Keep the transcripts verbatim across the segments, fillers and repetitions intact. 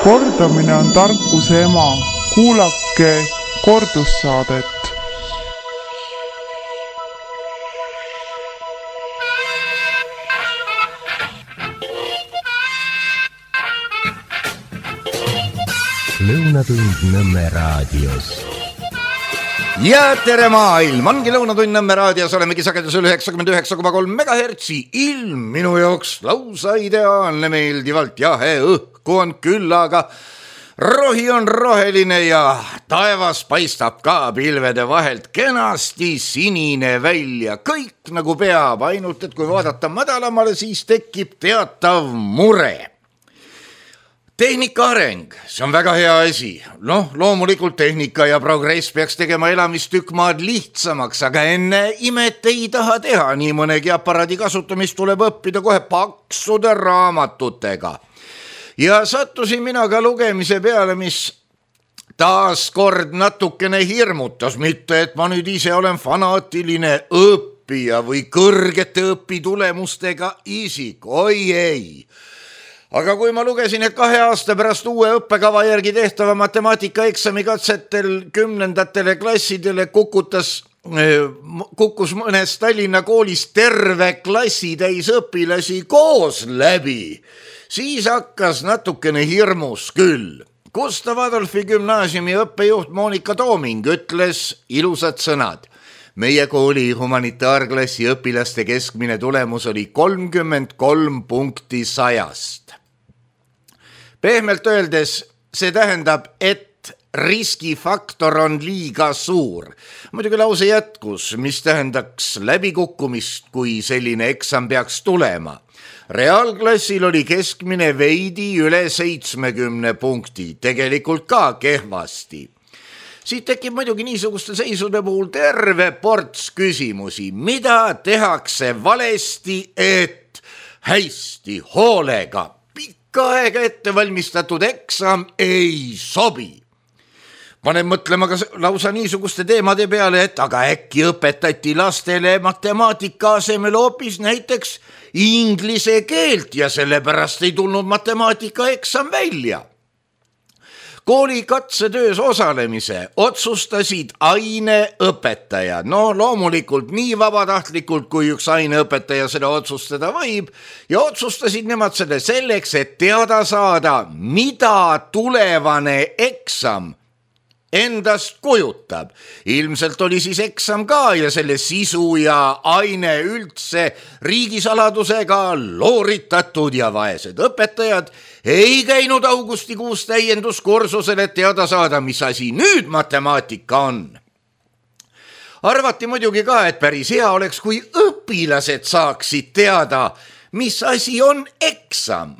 Kordamine on tarkuse ema. Kuulake kordussaadet. Lõunatund Nõmme raadios. Ja tere maailm, ongi Lõunatund Nõmme raadios, olemegi sagedusel üheksakümmend üheksa koma kolm megahertsi. Ilm minu jaoks lausa ideaalne, meeldivalt jahe, õhku on küll, aga rohi on roheline ja taevas paistab ka pilvede vahelt kenasti sinine välja. Kõik nagu peab, ainult et kui vaadata madalamale, siis tekib teatav mure. Tehnika areng, see on väga hea asi. Noh, loomulikult tehnika ja progress peaks tegema elamist tükk maad lihtsamaks, aga enne imet ei taha teha. Nii mõnegi aparaadi kasutamist tuleb õppida kohe paksude raamatutega. Ja sattusin mina ka lugemise peale, mis taas kord natukene hirmutas. Mitte, et ma nüüd ise olen fanaatiline õppija või kõrgete õpitulemustega isik. Oi ei! Aga kui ma lugesin, et kahe aasta pärast uue õppekava järgi tehtava matemaatikaeksami katsetel kümnendatele klassidele kukutas, kukkus mõnes Tallinna koolis terve klassi täis õpilasi koos läbi, siis hakkas natukene hirmus küll. Gustav Adolfi gümnaasiumi õppejuht Monika Tooming ütles ilusad sõnad. Meie kooli humanitaarklassi õpilaste keskmine tulemus oli kolmkümmend kolm punkti sajast. Pehmelt öeldes see tähendab, et riskifaktor on liiga suur. Muidugi lause jätkus, mis tähendaks läbikukkumist, kui selline eksam peaks tulema. Reaalklassil oli keskmine veidi üle seitsmekümne punkti, tegelikult ka kehvasti. Siit tekib muidugi niisuguste seisude puhul terve ports küsimusi, mida tehakse valesti, et hästi hoolega ka aega ette valmistatud eksam ei sobi. Panen mõtlema ka lausa niisuguste teemade peale, et aga äkki õpetati lastele matemaatika asemel hoopis näiteks inglise keelt ja sellepärast ei tulnud matemaatika eksam välja. Kooli katsetöös osalemise otsustasid aineõpetaja. No loomulikult nii vabatahtlikult, kui üks aineõpetaja seda otsustada võib, ja otsustasid nemad selle selleks, et teada saada, mida tulevane eksam endast kujutab. Ilmselt oli siis eksam ka ja selle sisu ja aine üldse riigisaladusega looritatud ja vaesed õpetajad ei käinud augustikuus täienduskursusel, et teada saada, mis asi nüüd matemaatika on. Arvati muidugi ka, et päris hea oleks, kui õpilased saaksid teada, mis asi on eksam.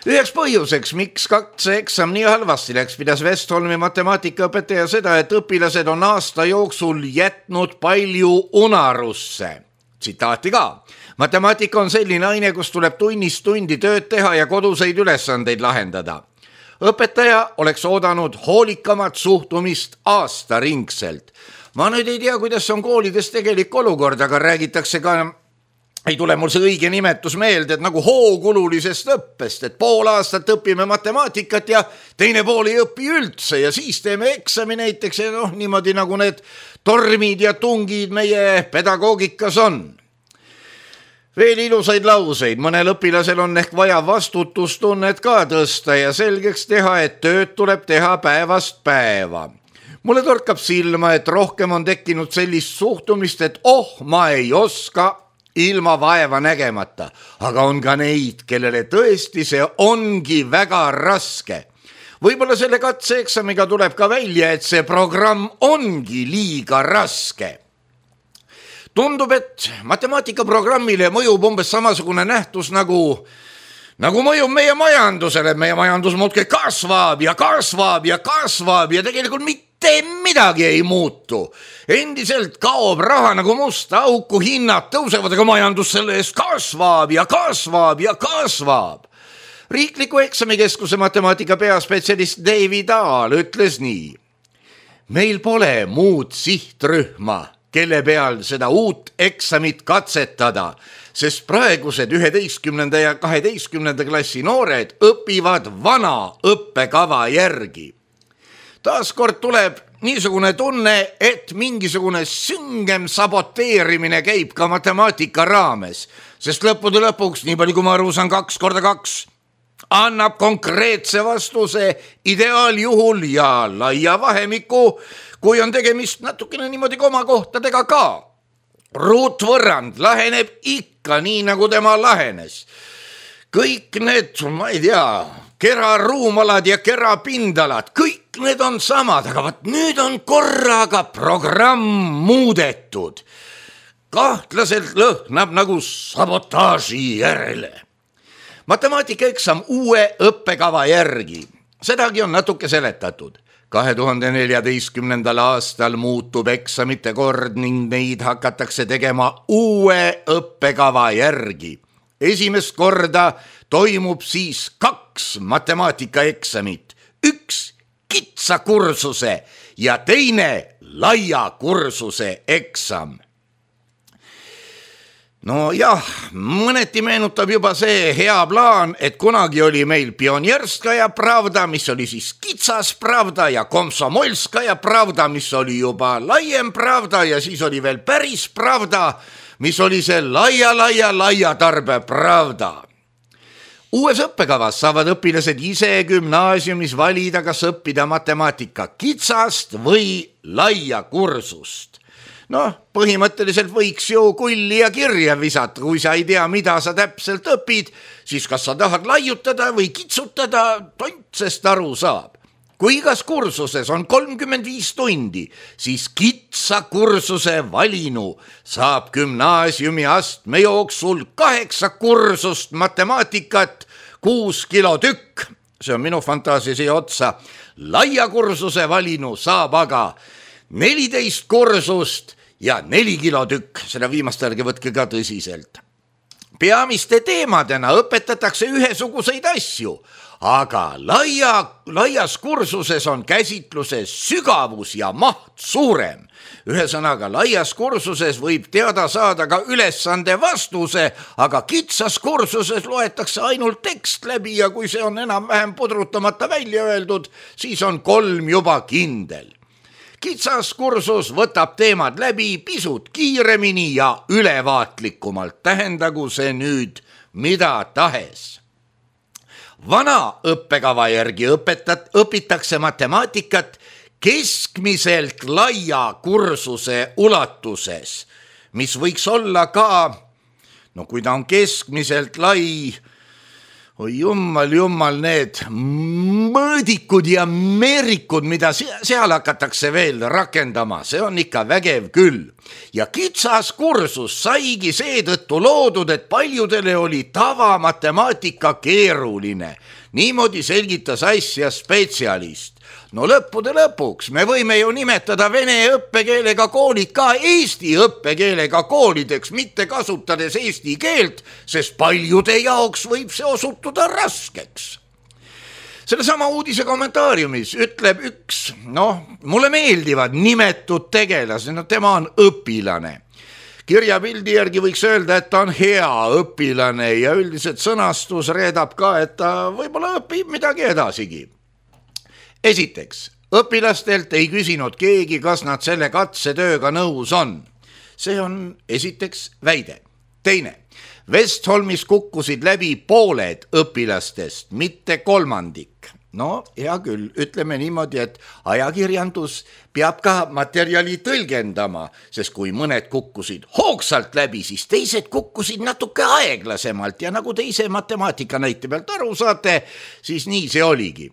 Üheks põhjuseks, miks katseeksam nii halvasti läks, pidas Westholmi matemaatikaõpetaja seda, et õpilased on aasta jooksul jätnud palju unarusse. Tsitaati ka. Matemaatika on selline aine, kus tuleb tunnist tundi tööd teha ja koduseid ülesandeid lahendada. Õpetaja oleks oodanud hoolikamat suhtumist aastaringselt. Ma nüüd ei tea, kuidas on koolides tegelik olukord, aga räägitakse ka, ei tule mul see õige nimetus meelde, et nagu hoogululisest õppest, et pool aastat õpime matemaatikat ja teine pool ei õpi üldse ja siis teeme eksami näiteks ja noh, niimoodi nagu need tormid ja tungid meie pedagoogikas on. Veel ilusaid lauseid, mõnel õpilasel on ehk vaja vastutustunnet ka tõsta ja selgeks teha, et tööd tuleb teha päevast päeva. Mulle torkab silma, et rohkem on tekkinud sellist suhtumist, et oh, ma ei oska ilma vaeva nägemata, aga on ka neid, kellele tõesti see ongi väga raske. Võib-olla selle katseeksamiga tuleb ka välja, et see programm ongi liiga raske. Tundub, et matemaatikaprogrammile mõjub umbes samasugune nähtus nagu, nagu mõjub meie majandusele. Meie majandus muudkui kasvab ja kasvab ja kasvab ja tegelikult mitte midagi ei muutu. Endiselt kaob raha nagu musta auku, hinnad tõusevad, aga majandus selle eest kasvab ja kasvab ja kasvab. Riikliku eksamikeskuse matemaatika peaspetsialist David Aal ütles nii. Meil pole muud sihtrühma, kelle peal seda uut eksamit katsetada. sest praegused üheteistkümnenda ja kaheteistkümnenda klassi noored õpivad vana õppekava järgi. Taaskord tuleb niisugune tunne, et mingisugune süngem saboteerimine käib ka matemaatika raames, sest lõppude lõpuks, nii palju kui ma aru saan, kaks korda kaks annab konkreetse vastuse ideaaljuhul ja laia vahemiku, kui on tegemist natukene niimoodi komakohtadega ka. Ruutvõrrand laheneb ikka nii, nagu tema lahenes. Kõik need, ma ei tea, keraruumalad ja kerapindalad, kõik need on samad, aga vaat nüüd on korraga programm muudetud. Kahtlaselt lõhnab nagu sabotaaži järele. Matemaatikaeksam uue õppekava järgi. Sedagi on natuke seletatud. kahe tuhande neljateistkümnendal aastal muutub eksamite kord ning neid hakatakse tegema uue õppekava järgi. Esimest korda toimub siis kaks matemaatikaeksamit, üks kitsa kursuse ja teine laia kursuse eksam. No jah, mõneti meenutab juba see hea plaan, et kunagi oli meil Pionierskaja pravda, mis oli siis kitsas pravda ja Komsomolskaja pravda, mis oli juba laiem pravda ja siis oli veel päris pravda, mis oli see laia, laia, laia tarbe pravda. Uues õppekavas saavad õpilased ise gümnaasiumis valida, kas õppida matemaatika kitsast või laia kursust. Noh, põhimõtteliselt võiks ju kulli ja kirja visata, kui sa ei tea, mida sa täpselt õpid, siis kas sa tahad laiutada või kitsutada, tontsest aru saab. Kui igas kursuses on kolmkümmend viis tundi, siis kitsa kursuse valinu saab gümnaasiumi astme jooksul kaheksa kursust matemaatikat, kuus kilo tükk, see on minu fantaasia siia otsa, laia kursuse valinu saab aga neliteist kursust ja neli kilo tükk, seda viimast ärge võtke ka tõsiselt. Peamiste teemadena õpetatakse ühesuguseid asju, aga laia, laias kursuses on käsitluses sügavus ja maht suurem. Ühesõnaga, laias kursuses võib teada saada ka ülesande vastuse, aga kitsas kursuses loetakse ainult tekst läbi ja kui see on enam-vähem pudrutamata välja öeldud, siis on kolm juba kindel. Kitsas kursus võtab teemad läbi pisut kiiremini ja ülevaatlikumalt, tähendagu see nüüd mida tahes. Vana õppekava järgi õpetat, õpitakse matemaatikat keskmiselt laia kursuse ulatuses, mis võiks olla ka, no kui ta on keskmiselt lai, oi jummal, jummal, need mõõdikud ja meerikud, mida seal hakatakse veel rakendama, see on ikka vägev küll. Ja kitsas kursus saigi seetõttu loodud, et paljudele oli tavamatemaatika keeruline. Niimoodi selgitas asja spetsialist. No lõppude lõpuks me võime ju nimetada vene õppekeelega koolid ka eesti õppekeelega koolideks, mitte kasutades eesti keelt, sest paljude jaoks võib see osutuda raskeks. Selle sama uudise kommentaariumis ütleb üks, noh, mulle meeldivad nimetud tegelased, no tema on õpilane. Kirjapildi järgi võiks öelda, et ta on hea õpilane ja üldiselt sõnastus reedab ka, et ta võib-olla õpib midagi edasigi. Esiteks, õpilastelt ei küsinud keegi, kas nad selle katsetööga nõus on. See on esiteks väide. Teine, Vestholmis kukkusid läbi pooled õpilastest, mitte kolmandik. No, hea küll, ütleme niimoodi, et ajakirjandus peab ka materjali tõlgendama, sest kui mõned kukkusid hoogsalt läbi, siis teised kukkusid natuke aeglasemalt ja nagu te ise matemaatika näite pealt aru saate, siis nii see oligi.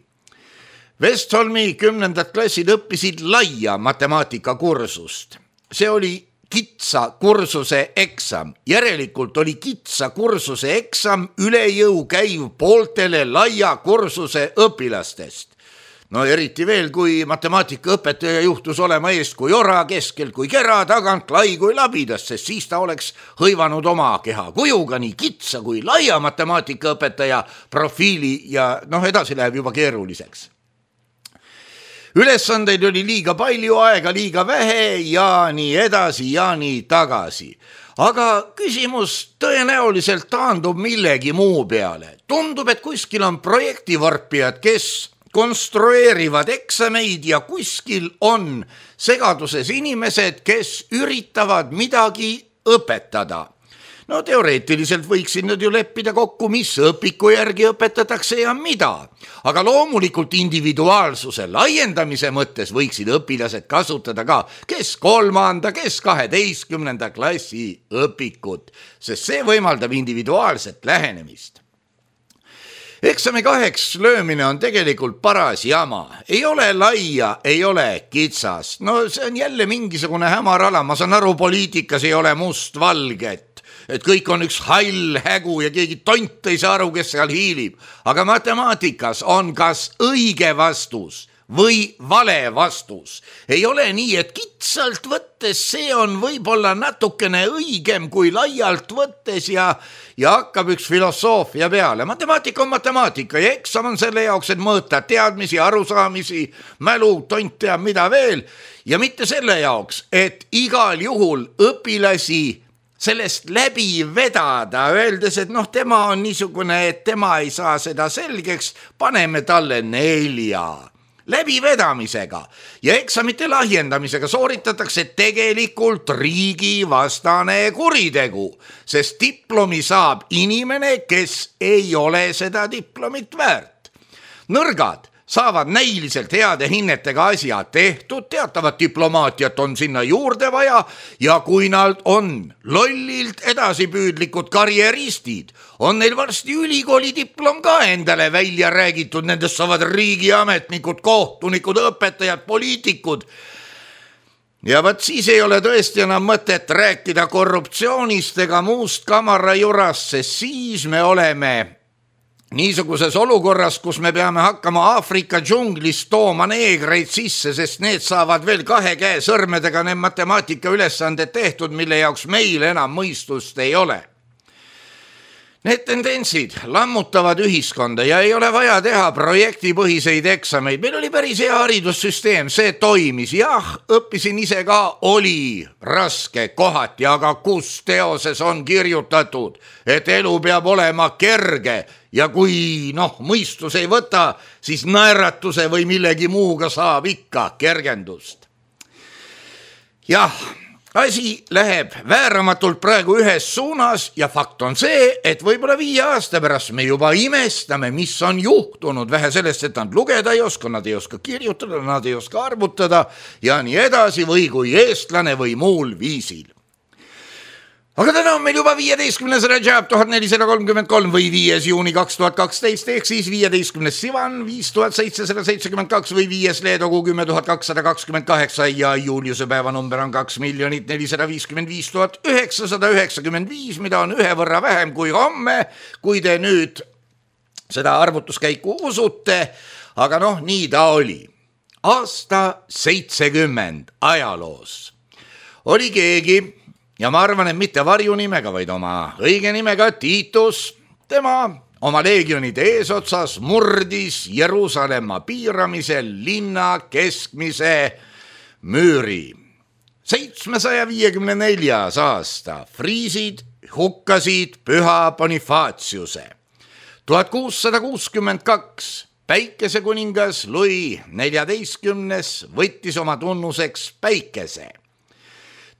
Vestholmi kümnendad klassid õppisid laia matemaatikakursust. See oli kitsa kursuse eksam. Järelikult oli kitsa kursuse eksam üle jõu käiv pooltele laia kursuse õpilastest. No eriti veel, kui matemaatikaõpetaja juhtus olema eest kui ora, keskel kui kera, tagant lai kui labidas, sest siis ta oleks hõivanud oma keha kujuga nii kitsa kui laia matemaatikaõpetaja profiili ja noh, edasi läheb juba keeruliseks. Ülesandeid oli liiga palju, aega liiga vähe ja nii edasi ja nii tagasi. aga küsimus tõenäoliselt taandub millegi muu peale. Tundub, et kuskil on projektivarpijad, kes konstrueerivad eksameid ja kuskil on segaduses inimesed, kes üritavad midagi õpetada. No teoreetiliselt võiksid nad ju leppida kokku, mis õpiku järgi õpetatakse ja mida. Aga loomulikult individuaalsuse laiendamise mõttes võiksid õpilased kasutada ka kes kolmanda, kes kaheteistkümnenda klassi õpikut, sest see võimaldab individuaalset lähenemist. Eksami kaheks löömine on tegelikult paras jama. Ei ole laia, ei ole kitsas. No see on jälle mingisugune hämar ala. Ma saan aru, poliitikas ei ole must valget. Et kõik on üks hall hägu ja keegi tont ei saa aru, kes seal hiilib. Aga matemaatikas on kas õige vastus või vale vastus. Ei ole nii, et kitsalt võttes see on võib-olla natukene õigem kui laialt võttes ja, ja hakkab üks filosoofia peale. Matemaatika on matemaatika ja eksam on selle jaoks, et mõõta teadmisi, arusaamisi, mälu, tont teab mida veel. Ja mitte selle jaoks, et igal juhul õpilasi sellest läbi vedada, öeldes, et noh, tema on niisugune, et tema ei saa seda selgeks, paneme talle nelja. Läbivedamisega ja eksamite lahjendamisega sooritatakse tegelikult riigivastane kuritegu, sest diplomi saab inimene, kes ei ole seda diplomit väärt. Nõrgad saavad näiliselt heade hinnetega asja tehtud, teatavat diplomaatiat on sinna juurde vaja ja kui nad on lollilt edasipüüdlikud karjeristid, on neil varsti ülikooli diplom ka endale välja räägitud, nendest saavad riigiametnikud, kohtunikud, õpetajad, poliitikud. Ja võt siis ei ole tõesti enam mõtet rääkida korruptsioonist ega muust kamarajurast, sest siis me oleme niisuguses olukorras, kus me peame hakkama Aafrika džunglist tooma neegreid sisse, sest need saavad veel kahe käe sõrmedega need matemaatika ülesanded tehtud, mille jaoks meil enam mõistust ei ole. Need tendentsid lammutavad ühiskonda ja ei ole vaja teha projektipõhiseid eksameid. Meil oli päris hea haridussüsteem, see toimis. Jah, õppisin ise ka, oli raske kohati, aga kus teoses on kirjutatud, et elu peab olema kerge ja kui noh, mõistus ei võta, siis naeratuse või millegi muuga saab ikka kergendust. Jah, asi läheb vääramatult praegu ühes suunas ja fakt on see, et võib-olla viie aasta pärast me juba imestame, mis on juhtunud. Vähe sellest, et nad lugeda ei oska, nad ei oska kirjutada, nad ei oska arvutada ja nii edasi või kui eestlane või muul viisil. Aga täna on meil juba viieteistkümnes Rajab tuhat nelisada kolmkümmend kolm või viies juuni kaks tuhat kaksteist ehk siis viieteistkümnes Sivan viis tuhat seitsesada seitsekümmend kaks või viies Leedogu kümme tuhat kakssada kakskümmend kaheksa ja Juliuse päevanumber on kaks miljonit nelisada viiskümmend viis tuhat üheksasada üheksakümmend viis, mida on ühe võrra vähem kui homme, kui te nüüd seda arvutuskäiku usute, aga noh, nii ta oli. Aasta seitsekümmend ajaloos oli keegi, ja ma arvan, et mitte varjunimega, vaid oma õige nimega Titus. Tema oma leegionide eesotsas murdis Jeruusalemma piiramisel linna keskmise müüri. seitsmesaja viiekümne neljas aasta friisid hukkasid Püha Bonifaciuse. tuhat kuussada kuuskümmend kaks päikesekuningas Louis neljateistkümnes võttis oma tunnuseks päikese.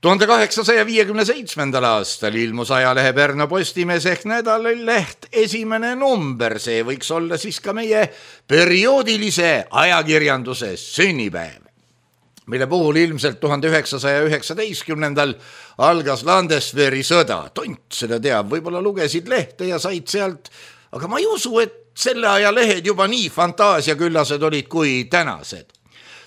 tuhande kaheksasaja viiekümne seitsmendal aastal ilmus ajalehe Pärnu Postimees ehk nädalaleht esimene number, see võiks olla siis ka meie perioodilise ajakirjanduse sünnipäev, mille puhul ilmselt tuhande üheksasaja üheksateistkümnendal algas Landesveri sõda. Tont seda teab, võib-olla lugesid lehte ja said sealt, aga ma ei usu, et selle aja lehed juba nii fantaasiaküllased olid kui tänased.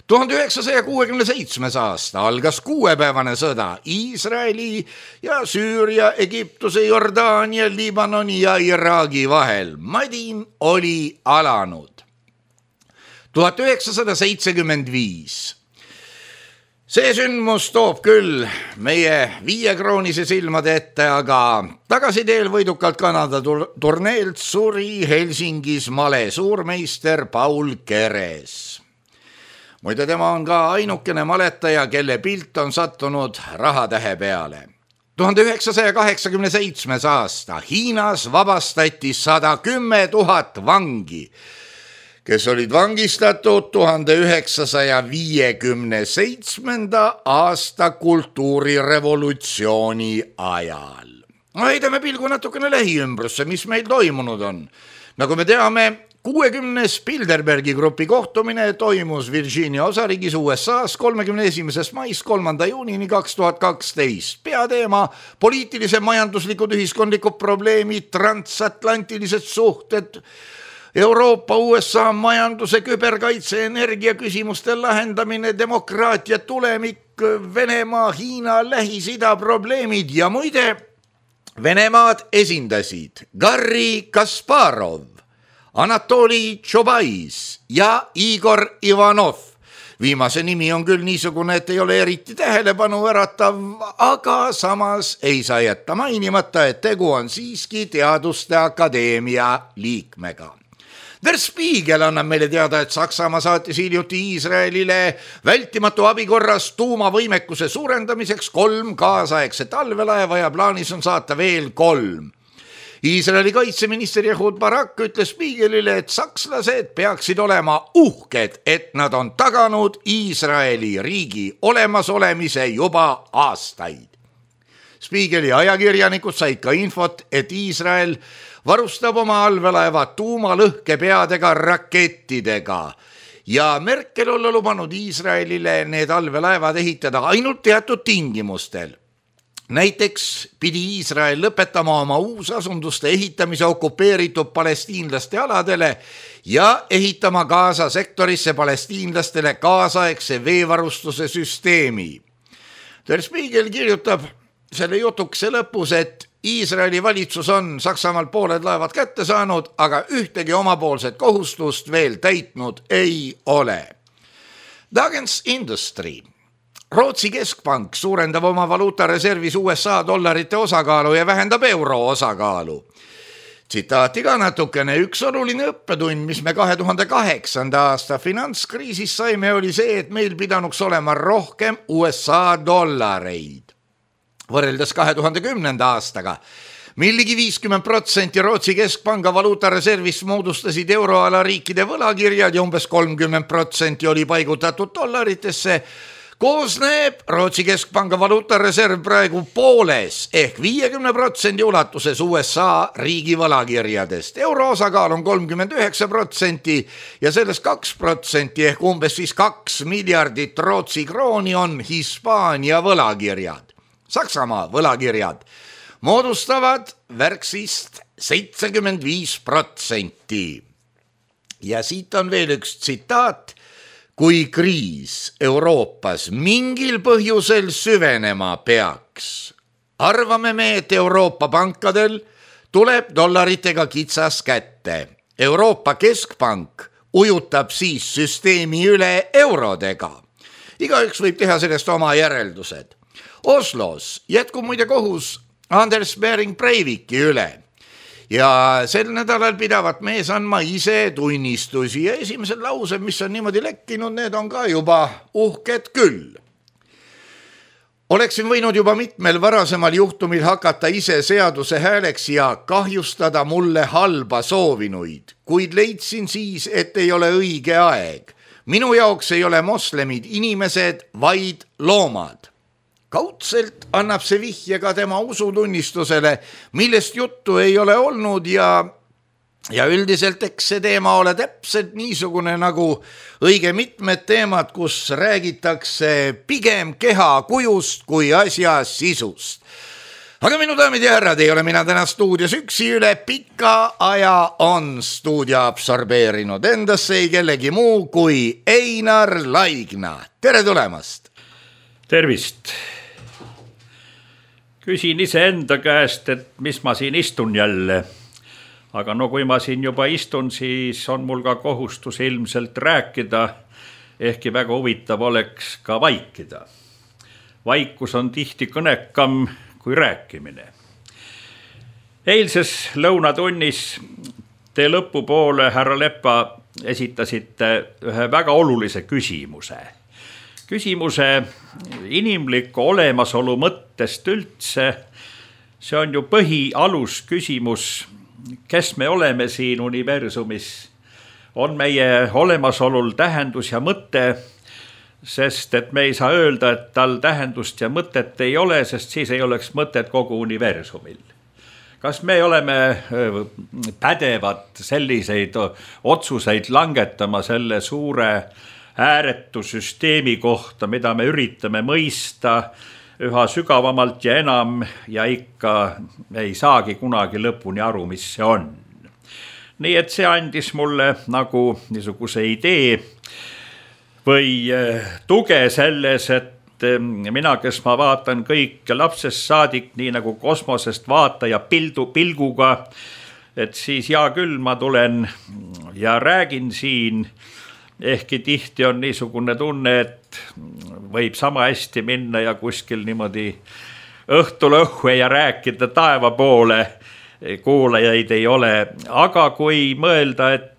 tuhande üheksasaja kuuekümne seitsmes aasta algas kuuepäevane sõda Iisraeli ja Süüria, Egiptuse, Jordaania, Liibanoni ja Iraagi vahel. Madin oli alanud. tuhat üheksasada seitsekümmend viis. See sündmus toob küll meie viiekroonise silmade ette, aga tagasiteel võidukalt Kanada turneelt suri Helsingis male suurmeister Paul Keres. Muide, tema on ka ainukene maletaja, kelle pilt on sattunud rahatähe peale. tuhande üheksasaja kaheksakümne seitsmes aasta Hiinas vabastati sada kümme tuhat vangi, kes olid vangistatud tuhande üheksasaja viiekümne seitsmenda aasta kultuurirevolutsiooni ajal. No heidame pilgu natukene lähiümbrusse, mis meil toimunud on. Nagu me teame, kuuekümnes Bilderbergi grupi kohtumine toimus Virginia osariigis U S A-s kolmekümne esimesest maist kolmanda juunini kaks tuhat kaksteist. Peateema poliitilise, majanduslikud, ühiskondlikud probleemid, transatlantilised suhted, Euroopa, U S A majanduse, küberkaitse, energia küsimuste lahendamine, demokraatia tulemik, Venemaa, Hiina, Lähis-Ida probleemid ja muide, Venemaad esindasid Garri Kasparov, Anatoli Tšobais ja Igor Ivanov. Viimase nimi on küll niisugune, et ei ole eriti tähelepanu äratav, aga samas ei saa jätta mainimata, et tegu on siiski Teaduste Akadeemia liikmega. Der Spiegel annab meile teada, et Saksamaa saatis hiljuti Iisraelile vältimatu abikorras tuumavõimekuse suurendamiseks kolm kaasaegset allveelaeva ja plaanis on saata veel kolm. Iisraeli kaitseminister Ehud Barak ütles Spiegelile, et sakslased peaksid olema uhked, et nad on taganud Iisraeli riigi olemasolemise juba aastaid. Spiegeli ajakirjanikud said ka infot, et Iisrael varustab oma allveelaeva tuumalõhkepeadega rakettidega ja Merkel olla lubanud Iisraelile need allveelaevad ehitada ainult teatud tingimustel. Näiteks pidi Iisrael lõpetama oma uusasunduste ehitamise okupeeritud palestiinlaste aladele ja ehitama Gaza sektorisse palestiinlastele kaasaegse veevarustuse süsteemi. Der Spiegel kirjutab selle jutukse lõpus, et Iisraeli valitsus on Saksamaal pooled laevad kätte saanud, aga ühtegi omapoolset kohustust veel täitnud ei ole. Dagens Industry. Rootsi keskpank suurendab oma valuutareservis U S A dollarite osakaalu ja vähendab euro osakaalu. Tsitaati ka natukene, üks oluline õppetund, mis me kahe tuhande kaheksanda aasta finantskriisis saime, oli see, et meil pidanuks olema rohkem U S A dollareid. Võrreldes kahe tuhande kümnenda aastaga, milligi viiskümmend protsenti Rootsi keskpanga valuutareservist moodustasid euroala riikide võlakirjad ja umbes kolmkümmend protsenti oli paigutatud dollaritesse, koosneb Rootsi keskpanga valuutareserv praegu pooles ehk viiekümne protsendi ulatuses U S A riigi võlakirjadest. Euro osakaal on kolmkümmend üheksa protsenti ja sellest kaks protsenti ehk umbes siis kaks miljardit Rootsi krooni on Hispaania võlakirjad. Saksamaa võlakirjad moodustavad värksist seitsekümmend viis protsenti. Ja siit on veel üks tsitaat. Kui kriis Euroopas mingil põhjusel süvenema peaks, arvame me, et Euroopa pankadel tuleb dollaritega kitsas kätte. Euroopa keskpank ujutab siis süsteemi üle eurodega. Igaüks võib teha sellest oma järeldused. Oslos jätkub muide kohus Anders Behring Breiviki üle ja sel nädalal pidavat mees andma ise tunnistusi ja esimesed laused, mis on niimoodi lekkinud, need on ka juba uhked küll. Oleksin võinud juba mitmel varasemal juhtumil hakata ise seaduse hääleks ja kahjustada mulle halba soovinuid, kuid leidsin siis, et ei ole õige aeg. Minu jaoks ei ole moslemid inimesed, vaid loomad. Kaudselt annab see vihje ka tema usutunnistusele, millest juttu ei ole olnud ja, ja üldiselt eks see teema ole täpselt niisugune nagu õige mitmed teemad, kus räägitakse pigem keha kujust kui asja sisust. Aga minu daamid ja härrad, ei ole mina täna stuudios üksi, üle pika aja on stuudio absorbeerinud endasse ei kellegi muu kui Einar Laigna. Tere tulemast! Tervist! Küsin ise enda käest, et mis ma siin istun jälle. Aga no kui ma siin juba istun, siis on mul ka kohustus ilmselt rääkida, ehkki väga huvitav oleks ka vaikida. Vaikus on tihti kõnekam kui rääkimine. Eilses lõunatunnis te lõpupoole, härra Leppa, esitasite ühe väga olulise küsimuse. küsimuse inimliku olemasolu mõttest üldse, see on ju põhialus küsimus, kes me oleme siin universumis. On meie olemasolul tähendus ja mõte, sest et me ei saa öelda, et tal tähendust ja mõtet ei ole, sest siis ei oleks mõtet kogu universumil. Kas me oleme pädevad selliseid otsuseid langetama selle suure ääretu süsteemi kohta, mida me üritame mõista üha sügavamalt ja enam ja ikka ei saagi kunagi lõpuni aru, mis see on. Nii et see andis mulle nagu niisuguse idee või tuge selles, et mina, kes ma vaatan kõik lapsest saadik, nii nagu kosmosest vaataja pildu, pilguga, et siis hea küll, ma tulen ja räägin siin, ehkki tihti on niisugune tunne, et võib sama hästi minna ja kuskil niimoodi õhtul õhue ja rääkida taeva poole, kuulajaid ei ole, aga kui mõelda, et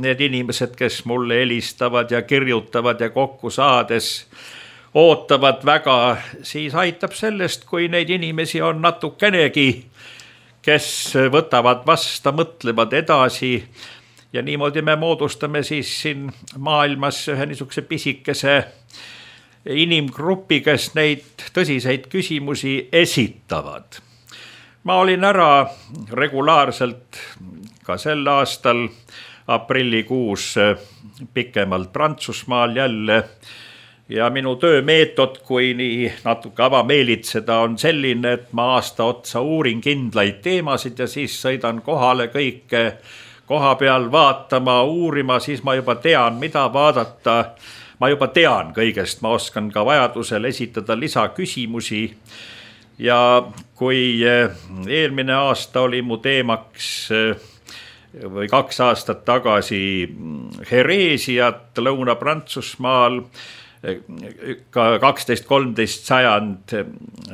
need inimesed, kes mulle helistavad ja kirjutavad ja kokku saades ootavad väga, siis aitab sellest, kui neid inimesi on natukenegi, kes võtavad vasta, mõtlevad edasi ja niimoodi me moodustame siis siin maailmas ühe niisuguse pisikese inimgrupi, kes neid tõsiseid küsimusi esitavad. Ma olin ära regulaarselt ka sel aastal aprillikuus pikemalt Prantsusmaal jälle ja minu töömeetod, kui nii natuke avameelitseda, on selline, et ma aasta otsa uurin kindlaid teemasid ja siis sõidan kohale kõike koha peal vaatama, uurima, siis ma juba tean, mida vaadata. Ma juba tean kõigest, ma oskan ka vajadusel esitada lisaküsimusi. Ja kui eelmine aasta oli mu teemaks või kaks aastat tagasi hereesiat Lõuna-Prantsusmaal, ka kaksteist kolmteist sajand,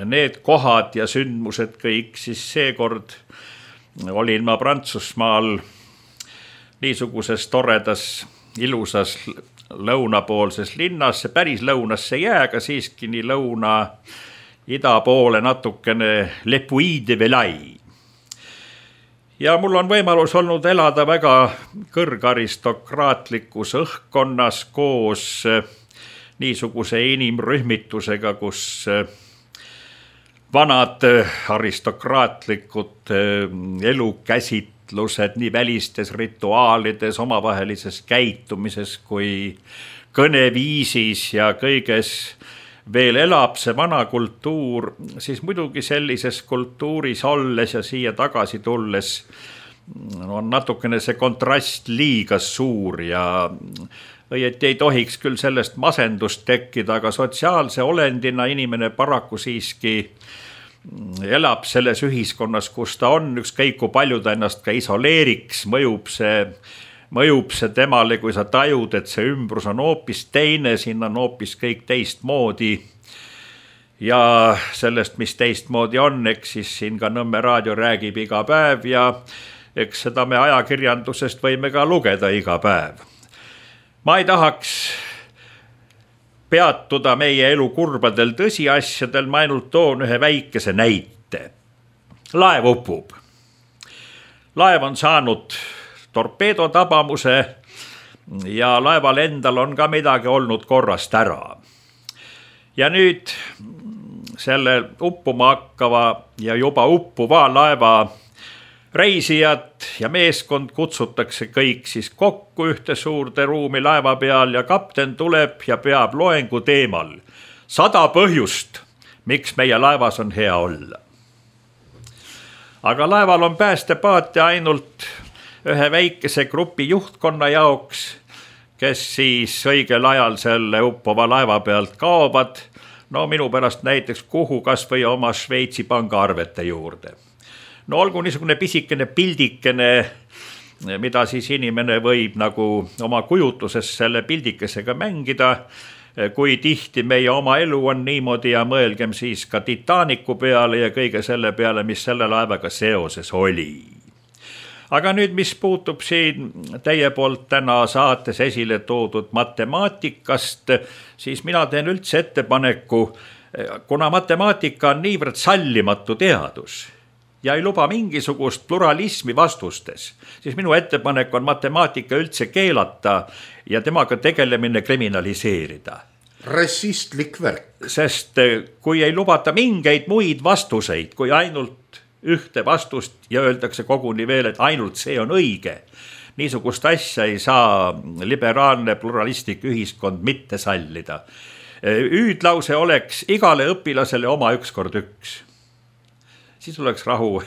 need kohad ja sündmused kõik, siis seekord olin ma Prantsusmaal niisuguses toredas, ilusas lõunapoolses linnas, päris lõunasse ei jää, aga siiski nii lõuna ida poole natukene Le Puy-de-Velay. Ja mul on võimalus olnud elada väga kõrgaristokraatlikus õhkkonnas koos niisuguse inimrühmitusega, kus vanad aristokraatlikud elukäsitlused nii välistes rituaalides, omavahelises käitumises kui kõneviisis ja kõiges veel elab see vana kultuur, siis muidugi sellises kultuuris olles ja siia tagasi tulles on natukene see kontrast liiga suur ja õieti ei tohiks küll sellest masendust tekkida, aga sotsiaalse olendina inimene paraku siiski elab selles ühiskonnas, kus ta on, ükskõik kui palju ta ennast ka isoleeriks, mõjub see mõjub see temale, kui sa tajud, et see ümbrus on hoopis teine, siin on hoopis kõik teistmoodi ja sellest, mis teistmoodi on, eks siis siin ka Nõmme raadio räägib iga päev ja eks seda me ajakirjandusest võime ka lugeda iga päev. Ma ei tahaks peatuda meie elu kurbadel tõsiasjadel, ma ainult toon ühe väikese näite. Laev upub. Laev on saanud torpeedo tabamuse ja laeval endal on ka midagi olnud korrast ära. Ja nüüd selle uppuma hakkava ja juba uppuva laeva reisijad ja meeskond kutsutakse kõik siis kokku ühte suurde ruumi laeva peal ja kapten tuleb ja peab loengu teemal sada põhjust, miks meie laevas on hea olla. Aga laeval on päästepaat ja ainult ühe väikese grupi juhtkonna jaoks, kes siis õigel ajal selle uppuva laeva pealt kaovad, no minu pärast näiteks kuhu kas või oma Šveitsi pangaarvete juurde. No olgu niisugune pisikene pildikene, mida siis inimene võib nagu oma kujutluses selle pildikesega mängida, kui tihti meie oma elu on niimoodi ja mõelgem siis ka Titanicu peale ja kõige selle peale, mis selle laevaga seoses oli. aga nüüd, mis puutub siin teie poolt täna saates esile toodud matemaatikast, siis mina teen üldse ettepaneku, kuna matemaatika on niivõrd sallimatu teadus ja ei luba mingisugust pluralismi vastustes, siis minu ettepanek on matemaatika üldse keelata ja temaga tegelemine kriminaliseerida. Rassistlik värk. Sest kui ei lubata mingeid muid vastuseid, kui ainult ühte vastust ja öeldakse koguni veel, et ainult see on õige, niisugust asja ei saa liberaalne pluralistlik ühiskond mitte sallida. Hüüdlause oleks igale õpilasele oma üks kord üks. Siis oleks rahu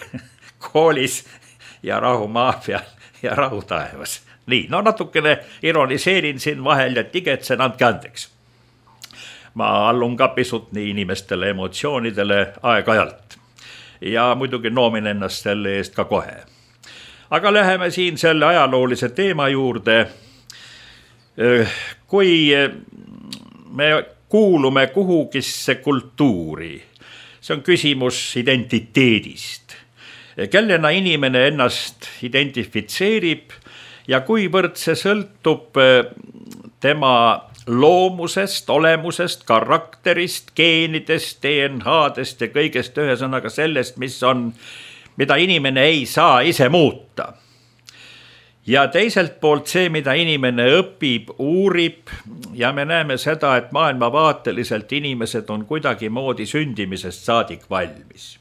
koolis ja rahu maa peal ja rahu taevas. Nii, no natukene ironiseerin siin vahel ja tigetsen, andke andeks. Ma allun ka pisut nii inimestele emotsioonidele aeg-ajalt ja muidugi noomin ennast selle eest ka kohe. Aga läheme siin selle ajaloolise teema juurde. Kui me kuulume kuhugisse kultuuri, see on küsimus identiteedist, kellena inimene ennast identifitseerib ja kuivõrd see sõltub tema loomusest, olemusest, karakterist, geenidest, D N H-dest ja kõigest ühesõnaga sellest, mis on, mida inimene ei saa ise muuta. Ja teiselt poolt see, mida inimene õpib, uurib ja me näeme seda, et maailmavaateliselt inimesed on kuidagi moodi sündimisest saadik valmis.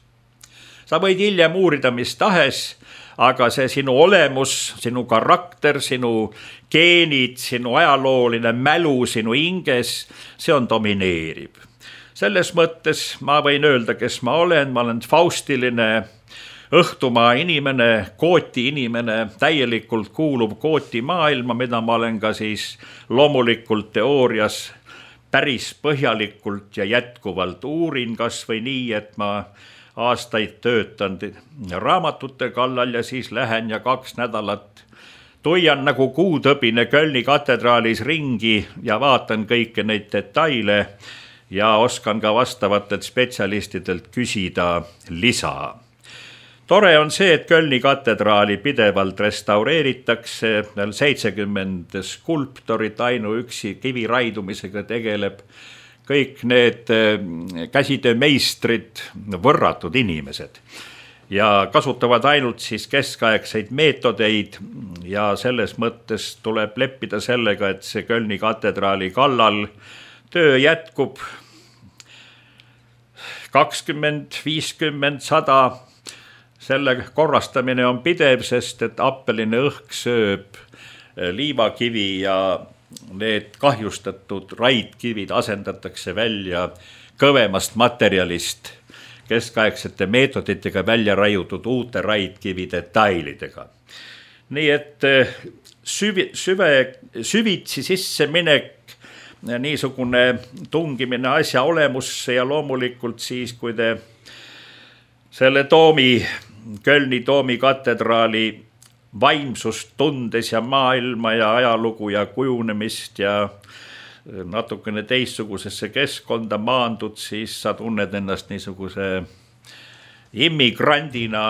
Sa võid hiljem uurida mis tahes, aga see sinu olemus, sinu karakter, sinu geenid, sinu ajalooline mälu, sinu hinges, see on domineerib. Selles mõttes ma võin öelda, kes ma olen, ma olen faustiline õhtumaa inimene, kooti inimene, täielikult kuulub kooti maailma, mida ma olen ka siis loomulikult teoorias päris põhjalikult ja jätkuvalt uurin, kas või nii, et ma aastaid töötan raamatute kallal ja siis lähen ja kaks nädalat tuian nagu kuutõbine Kölni katedraalis ringi ja vaatan kõike neid detaile ja oskan ka vastavatelt spetsialistidelt küsida lisa. Tore on see, et Kölni katedraali pidevalt restaureeritakse, seitsekümmend skulptorit ainuüksi kiviraidumisega tegeleb, kõik need käsitöömeistrid, võrratud inimesed ja kasutavad ainult siis keskaegseid meetodeid ja selles mõttes tuleb leppida sellega, et see Kölni katedraali kallal töö jätkub kakskümmend, viiskümmend, sada. Selle korrastamine on pidev, sest et appeline õhk sööb liivakivi ja need kahjustatud raidkivid asendatakse välja kõvemast materjalist keskaegsete meetoditega välja raiutud uute raidkivi detailidega. Nii et süvi, süve, süvitsi sisse minek, niisugune tungimine asja olemusse ja loomulikult siis, kui te selle toomi, Kölni toomi katedraali vaimsust tundes ja maailma ja ajalugu ja kujunemist ja natukene teistsugusesse keskkonda maandud, siis sa tunned ennast niisuguse immigrandina,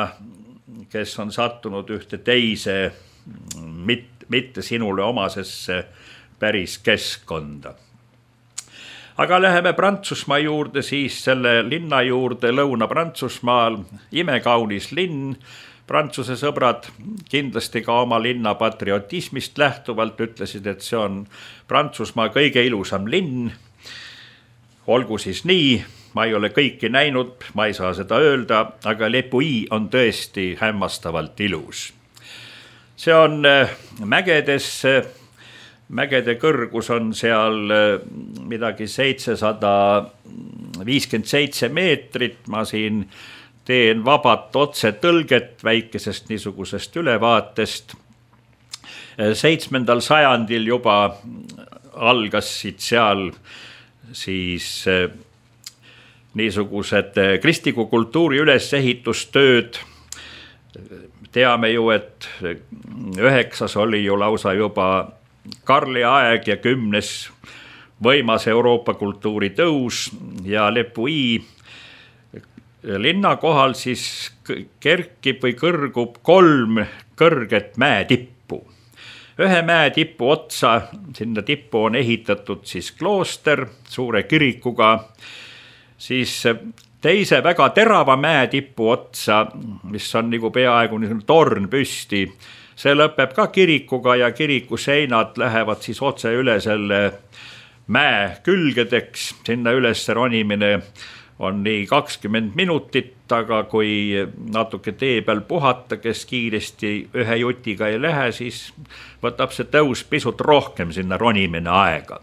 kes on sattunud ühte teise, mitte sinule omasesse päris keskkonda. Aga läheme Prantsusmaa juurde, siis selle linna juurde Lõuna-Prantsusmaal, imekaunis linn. Prantsuse sõbrad kindlasti ka oma linna patriotismist lähtuvalt ütlesid, et see on Prantsusmaa kõige ilusam linn. Olgu siis nii, ma ei ole kõiki näinud, ma ei saa seda öelda, aga Le Puy on tõesti hämmastavalt ilus. See on mägedes. Mägede kõrgus on seal midagi seitsesada viiskümmend seitse meetrit. Ma siin teen vabat otse tõlget väikesest niisugusest ülevaatest. Seitsmendal sajandil juba algasid seal siis niisugused kristliku kultuuri ülesehitustööd. Teame ju, et üheksas oli ju lausa juba Karli aeg ja kümnes võimas Euroopa kultuuri tõus ja Le Puy linna kohal siis kerkib või kõrgub kolm kõrget mäetippu. Ühe mäetipu otsa, sinna tippu on ehitatud siis klooster suure kirikuga, siis teise väga terava mäetipu otsa, mis on nagu peaaegu torn püsti, see lõpeb ka kirikuga ja kiriku seinad lähevad siis otse üle selle mäe külgedeks, sinna üles ronimine on nii kakskümmend minutit, aga kui natuke tee peal puhata, kes kiiresti ühe jutiga ei lähe, siis võtab see tõus pisut rohkem sinna ronimine aega.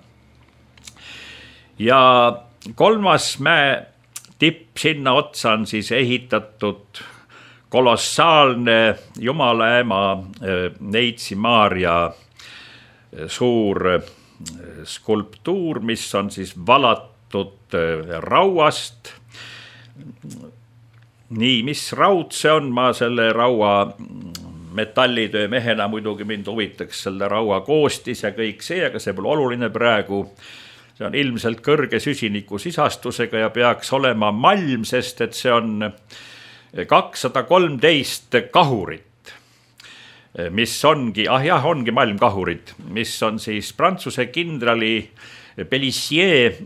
Ja kolmas mäe tipp sinna otsa on siis ehitatud kolossaalne Jumala ema Neitsi Maarja suur skulptuur, mis on siis valatud rauast. Nii, mis raud see on, ma selle raua metallitöö mehena muidugi mind huvitaks selle raua koostis ja kõik see, aga see pole oluline praegu. See on ilmselt kõrge süsiniku sisastusega ja peaks olema malm, sest et see on kakssada kolmteist kahurit, mis ongi, ah jah, ongi malmkahurid, mis on siis Prantsuse kindrali Pélissier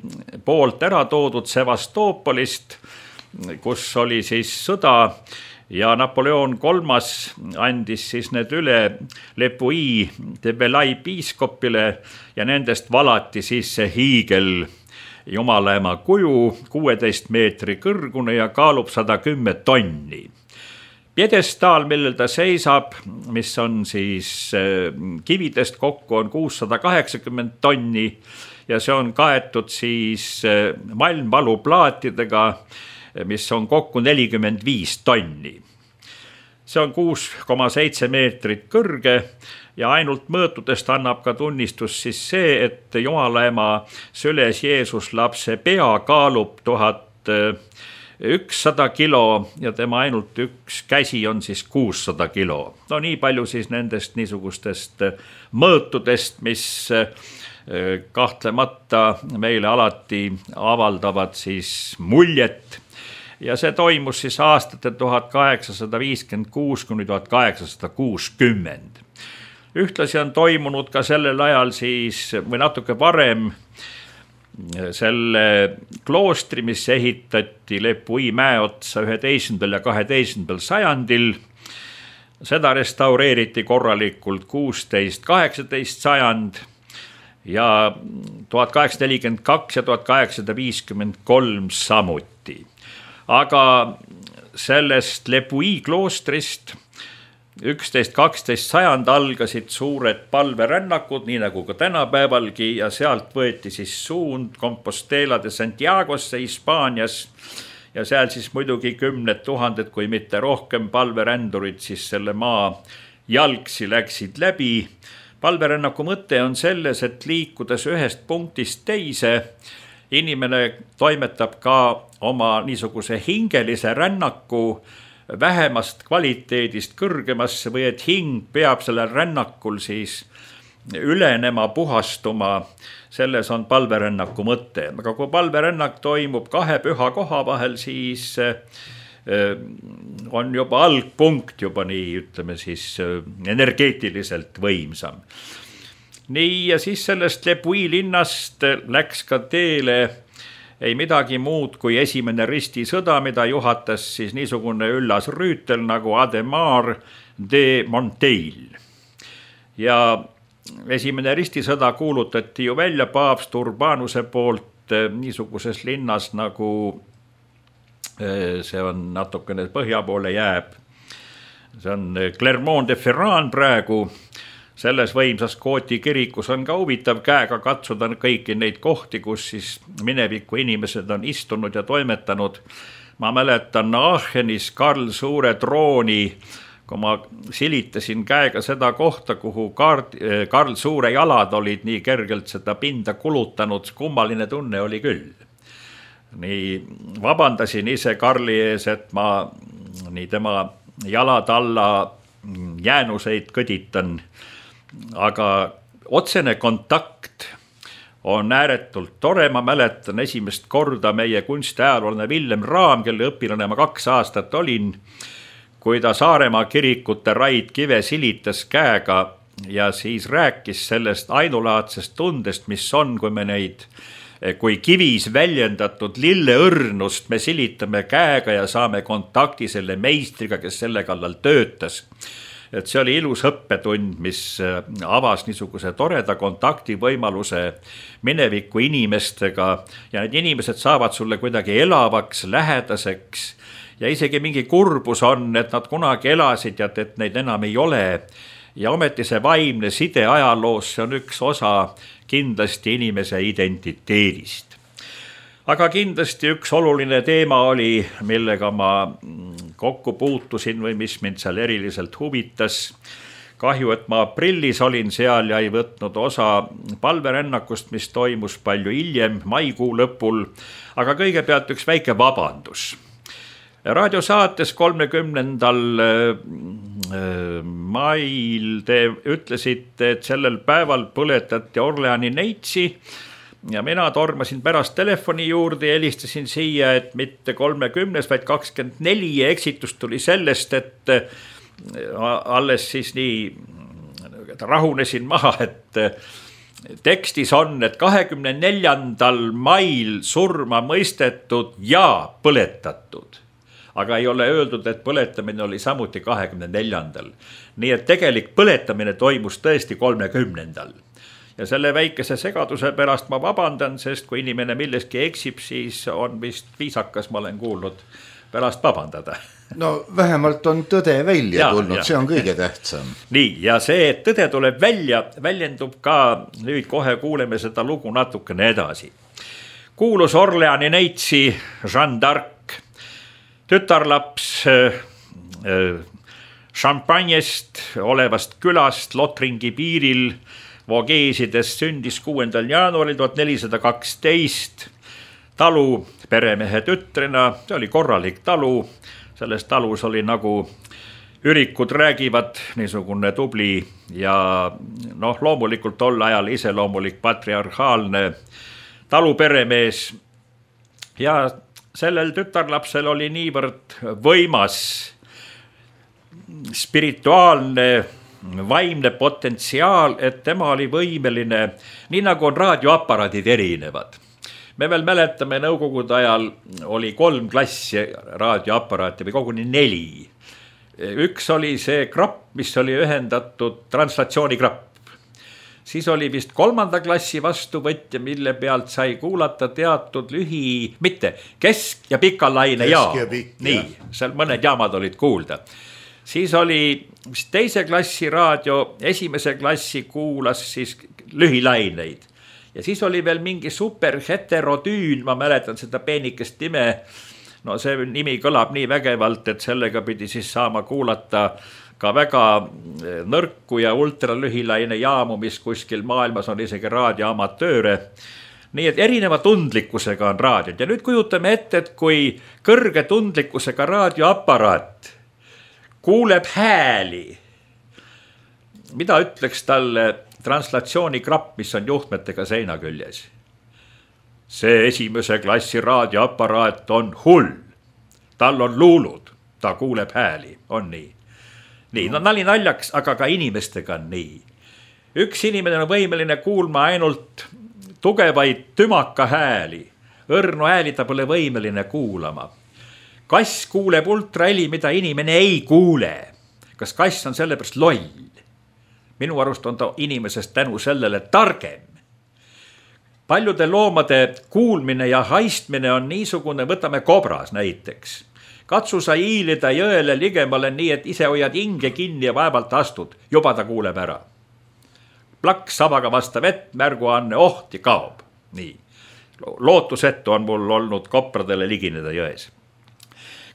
poolt ära toodud Sevastoopolist, kus oli siis sõda ja Napoleon kolmas andis siis need üle Le Puy de Belay piiskopile ja nendest valati siis see hiigel Jumalaema kuju, kuueteist meetri kõrgune ja kaalub sada kümme tonni. Piedestaal, millel ta seisab, mis on siis kividest kokku, on kuussada kaheksakümmend tonni ja see on kaetud siis malmvaluplaatidega, mis on kokku nelikümmend viis tonni. See on kuus koma seitse meetrit kõrge ja ainult mõõtudest annab ka tunnistus siis see, et Jumalaema süles Jeesus lapse pea kaalub tuhat ükssada kilo ja tema ainult üks käsi on siis kuussada kilo. No nii palju siis nendest niisugustest mõõtudest, mis kahtlemata meile alati avaldavad siis muljet. Ja see toimus siis aastate tuhat kaheksasada viiskümmend kuus kuni tuhat kaheksasada kuuskümmend. Ühtlasi on toimunud ka sellel ajal siis või natuke varem selle kloostri, mis ehitati Le Puy mäe otsa üheteistkümnendal ja kaheteistkümnendal sajandil. Seda restaureeriti korralikult kuusteist kaheksateist sajand ja tuhat kaheksasada nelikümmend kaks ja tuhat kaheksasada viiskümmend kolm samuti. Aga sellest Le Puy kloostrist üksteist kaksteist sajand algasid suured palverännakud, nii nagu ka tänapäevalgi, ja sealt võeti siis suund Compostela de Santiagosse Hispaanias ja seal siis muidugi kümned tuhanded, kui mitte rohkem palverändurid siis selle maa jalgsi läksid läbi. Palverännaku mõte on selles, et liikudes ühest punktist teise, inimene toimetab ka oma niisuguse hingelise rännaku vähemast kvaliteedist kõrgemasse või et hing peab sellel rännakul siis ülenema, puhastuma, selles on palverännaku mõte. Aga kui palverännak toimub kahe püha koha vahel, siis on juba algpunkt juba nii, ütleme siis energeetiliselt võimsam. Nii, ja siis sellest Le Puy linnast läks ka teele ei midagi muud kui esimene ristisõda, mida juhatas siis niisugune üllas rüütel nagu Ademar de Monteil. Ja esimene ristisõda kuulutati ju välja paavst Urbanuse poolt niisuguses linnas nagu see on natukene põhja poole jääb. See on Clermont-de-Ferrand praegu. Selles võimsas Kooti kirikus on ka huvitav käega katsuda kõiki neid kohti, kus siis mineviku inimesed on istunud ja toimetanud. Ma mäletan Aachenis Karl Suure trooni, kui ma silitasin käega seda kohta, kuhu Karl Suure jalad olid nii kergelt seda pinda kulutanud, kummaline tunne oli küll. Nii vabandasin ise Karli ees, et ma nii tema jalad alla jäänuseid kõditan. Aga otsene kontakt on ääretult tore, ma mäletan esimest korda meie kunstiajaloolane Villem Raam, kelle õpilane ma kaks aastat olin, kui ta Saaremaa kirikute Raid Kive silitas käega ja siis rääkis sellest ainulaadsest tundest, mis on, kui me neid, kui kivis väljendatud lilleõrnust me silitame käega ja saame kontakti selle meistriga, kes selle kallal töötas. Et see oli ilus õppetund, mis avas niisuguse toreda kontakti võimaluse mineviku inimestega ja need inimesed saavad sulle kuidagi elavaks, lähedaseks ja isegi mingi kurbus on, et nad kunagi elasid ja et neid enam ei ole. Ja ometi see vaimne side ajaloos, see on üks osa kindlasti inimese identiteedist. Aga kindlasti üks oluline teema oli, millega ma kokku puutusin või mis mind seal eriliselt huvitas. Kahju, et ma aprillis olin seal ja ei võtnud osa palverännakust, mis toimus palju hiljem, maikuu lõpul. Aga kõigepealt üks väike vabandus. Raadiosaates kolmekümnendal mail te ütlesite, et sellel päeval põletati Orleani neitsi. Ja mina tormasin pärast telefoni juurde ja helistasin siia, et mitte kolmekümnes, vaid kakskümmend neli ja eksitus tuli sellest, et alles siis nii rahunesin maha, et tekstis on, et kahekümne neljandal mail surma mõistetud ja põletatud. Aga ei ole öeldud, et põletamine oli samuti kahekümne neljandal. Nii et tegelik põletamine toimus tõesti kolmekümnendal. Ja selle väikese segaduse pärast ma vabandan, sest kui inimene milleski eksib, siis on vist viisakas, ma olen kuulnud, pärast vabandada. No vähemalt on tõde välja ja, tulnud, ja. See on kõige tähtsam. Nii, ja see, et tõde tuleb välja, väljendub ka, nüüd kohe kuuleme seda lugu natukene edasi. Kuulus Orleani neitsi Jeanne d'Arc, tütarlaps äh, Champagnest olevast külast Lotringi piiril, Vogeesides sündis kuuendal jaanuaril tuhat nelisada kaksteist talu peremehe tütrena, see oli korralik talu, selles talus oli nagu ürikud räägivad, niisugune tubli ja noh, loomulikult tol ajal iseloomulik patriarhaalne taluperemees ja sellel tütarlapsel oli niivõrd võimas spirituaalne vaimne potentsiaal, et tema oli võimeline, nii nagu on raadioaparaadid erinevad. Me veel mäletame, nõukogude ajal oli kolm klassi raadioaparaati või koguni neli. Üks oli see krapp, mis oli ühendatud translatsioonikrapp. Siis oli vist kolmanda klassi vastuvõtja, mille pealt sai kuulata teatud lühi, mitte kesk- ja pikalaine jaam. Nii, seal mõned jaamad olid kuulda. Siis oli teise klassi raadio, esimese klassi kuulas siis lühilaineid. Ja siis oli veel mingi superheterodüün, ma mäletan seda peenikest nime. No see nimi kõlab nii vägevalt, et sellega pidi siis saama kuulata ka väga nõrku ja ultralühilaine jaamu, mis kuskil maailmas on isegi raadioamatööre. Nii et erineva tundlikkusega on raadiod. Ja nüüd kujutame ette, et kui kõrge tundlikkusega raadioaparaat kuuleb hääli. Mida ütleks talle translatsioonikrapp, mis on juhtmetega seina küljes? See esimese klassi raadioaparaat on hull. Tal on luulud, ta kuuleb hääli, on nii. Nii, no nali naljaks, aga ka inimestega on nii. Üks inimene on võimeline kuulma ainult tugevaid tümaka hääli. Õrnu hääli ta pole võimeline kuulama. Kass kuuleb ultraheli, mida inimene ei kuule. Kas kass on sellepärast loll? Minu arust on ta inimesest tänu sellele targem. Paljude loomade kuulmine ja haistmine on niisugune, võtame kobras näiteks. Katsu sa hiilida jõele ligemale nii, et ise hoiad hinge kinni ja vaevalt astud, juba ta kuuleb ära. Plaks savaga vastav vett, märguanne ohti kaob. Nii. Lootusettu on mul olnud kopradele ligineda jões.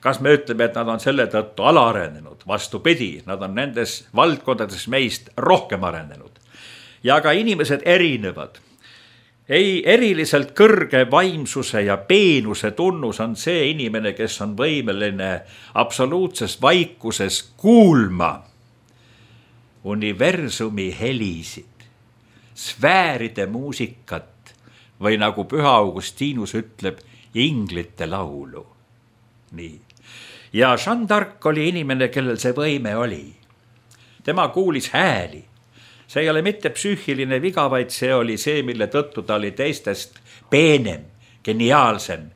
Kas me ütleme, et nad on selle tõttu alaarenenud? Vastupidi, nad on nendes valdkondades meist rohkem arenenud. Ja ka inimesed erinevad. Ei, eriliselt kõrge vaimsuse ja peenuse tunnus on see inimene, kes on võimeline absoluutses vaikuses kuulma universumi helisid, sfääride muusikat või nagu Püha Augustinus ütleb, inglite laulu. Nii. Ja Jeanne d'Arc oli inimene, kellel see võime oli. Tema kuulis hääli. See ei ole mitte psüühiline viga, vaid see oli see, mille tõttu ta oli teistest peenem, geniaalsem.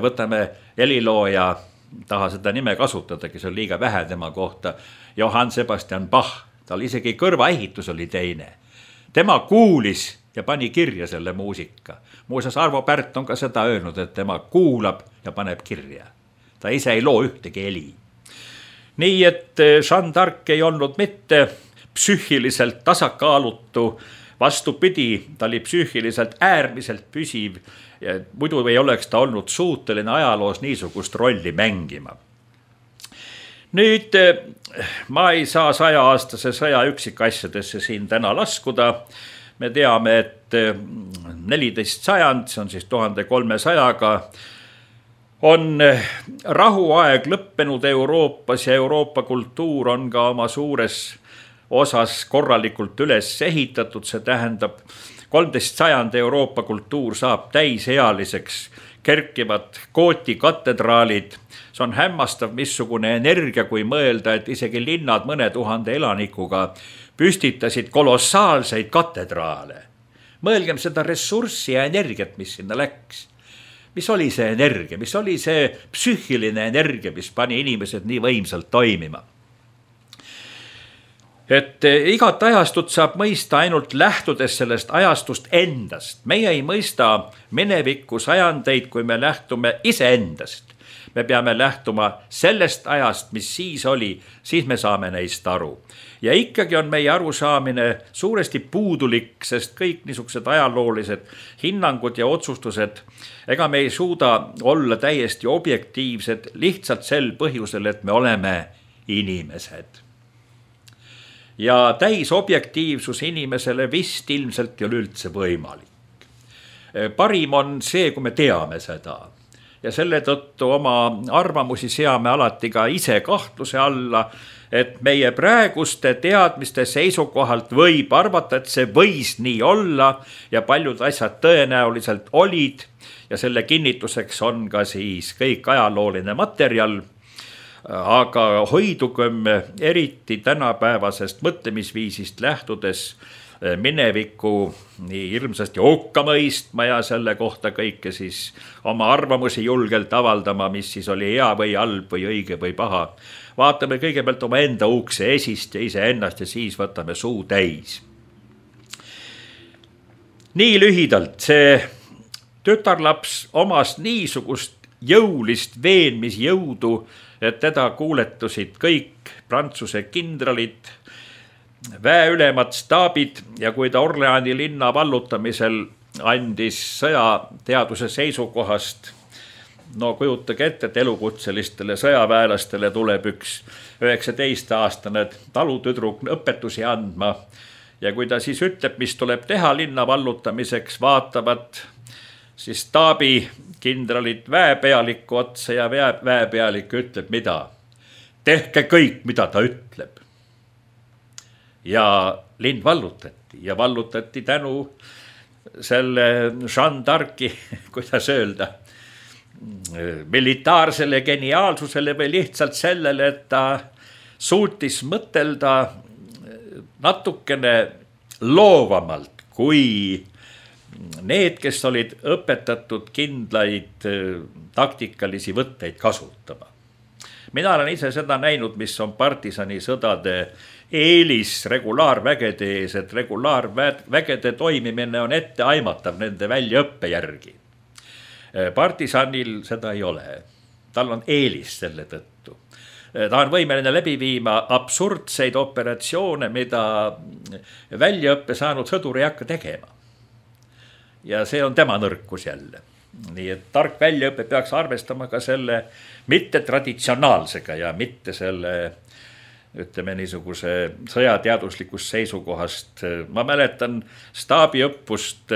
Võtame helilooja, taha seda nime kasutadagi, see on liiga vähe tema kohta, Johann Sebastian Bach, tal isegi kõrvaehitus oli teine. Tema kuulis ja pani kirja selle muusika. Muuseas, Arvo Pärt on ka seda öelnud, et tema kuulab ja paneb kirja. Ta ise ei loo ühtegi heli. Nii et Jeanne d'Arc ei olnud mitte psüühiliselt tasakaalutu, vastupidi, ta oli psüühiliselt äärmiselt püsiv ja muidu ei oleks ta olnud suuteline ajaloos niisugust rolli mängima. Nüüd ma ei saa sajaaastase sõja üksikasjadesse siin täna laskuda. Me teame, et neliteist sajand, see on siis tuhande kolmesajaga, on rahuaeg lõppenud Euroopas ja Euroopa kultuur on ka oma suures osas korralikult üles ehitatud. See tähendab, kolmteist sajand Euroopa kultuur saab täisealiseks, kerkivad Gooti katedraalid. See on hämmastav, missugune energia, kui mõelda, et isegi linnad mõne tuhande elanikuga püstitasid kolossaalseid katedraale. Mõelgem seda ressurssi ja energiat, mis sinna läks. Mis oli see energia, mis oli see psüühiline energia, mis pani inimesed nii võimsalt toimima. Et igat ajastut saab mõista ainult lähtudes sellest ajastust endast. Meie ei mõista mineviku sajandeid, kui me lähtume iseendast. Me peame lähtuma sellest ajast, mis siis oli, siis me saame neist aru. Ja ikkagi on meie arusaamine suuresti puudulik, sest kõik niisugused ajaloolised hinnangud ja otsustused, ega me ei suuda olla täiesti objektiivsed lihtsalt sel põhjusel, et me oleme inimesed. Ja täisobjektiivsus inimesele vist ilmselt ei ole üldse võimalik. Parim on see, kui me teame seda. Ja selle tõttu oma arvamusi seame alati ka ise kahtluse alla, et meie praeguste teadmiste seisukohalt võib arvata, et see võis nii olla ja paljud asjad tõenäoliselt olid ja selle kinnituseks on ka siis kõik ajalooline materjal. Aga hoidugem eriti tänapäevasest mõtlemisviisist lähtudes mineviku nii hirmsasti hukka mõistma ja selle kohta kõike siis oma arvamusi julgelt avaldama, mis siis oli hea või halb või õige või paha. Vaatame kõigepealt oma enda ukse esist ja ise ennast ja siis võtame suu täis. Nii lühidalt see tütarlaps omas niisugust jõulist veenmisjõudu, et teda kuuletusid kõik Prantsuse kindralid, väeülemad staabid ja kui ta Orleani linna vallutamisel andis sõjateaduse seisukohast, no kujutage ette, et elukutselistele sõjaväelastele tuleb üks üheksateist-aastane talutüdruk õpetusi andma ja kui ta siis ütleb, mis tuleb teha linna vallutamiseks, vaatavad siis staabi kindralid väepealiku otsa ja väepealik ütleb, mida? Tehke kõik, mida ta ütleb. Ja linn vallutati ja vallutati tänu selle Jeanne d'Arci, kuidas öelda, militaarsele geniaalsusele või lihtsalt sellele, et ta suutis mõtelda natukene loovamalt, kui need, kes olid õpetatud kindlaid taktikalisi võtteid kasutama. Mina olen ise seda näinud, mis on partisani sõdade eelis regulaarvägede ees, et regulaarvägede toimimine on ette aimatav nende väljaõppe järgi. Partisanil seda ei ole. Tal on eelis selle tõttu. Ta on võimeline läbi viima absurdseid operatsioone, mida väljaõppe saanud sõdur ei hakka tegema. Ja see on tema nõrkus jälle. Nii et tark väljaõpe peaks arvestama ka selle mitte traditsionaalsega ja mitte selle, ütleme niisuguse sõjateaduslikust seisukohast. Ma mäletan staabiõppust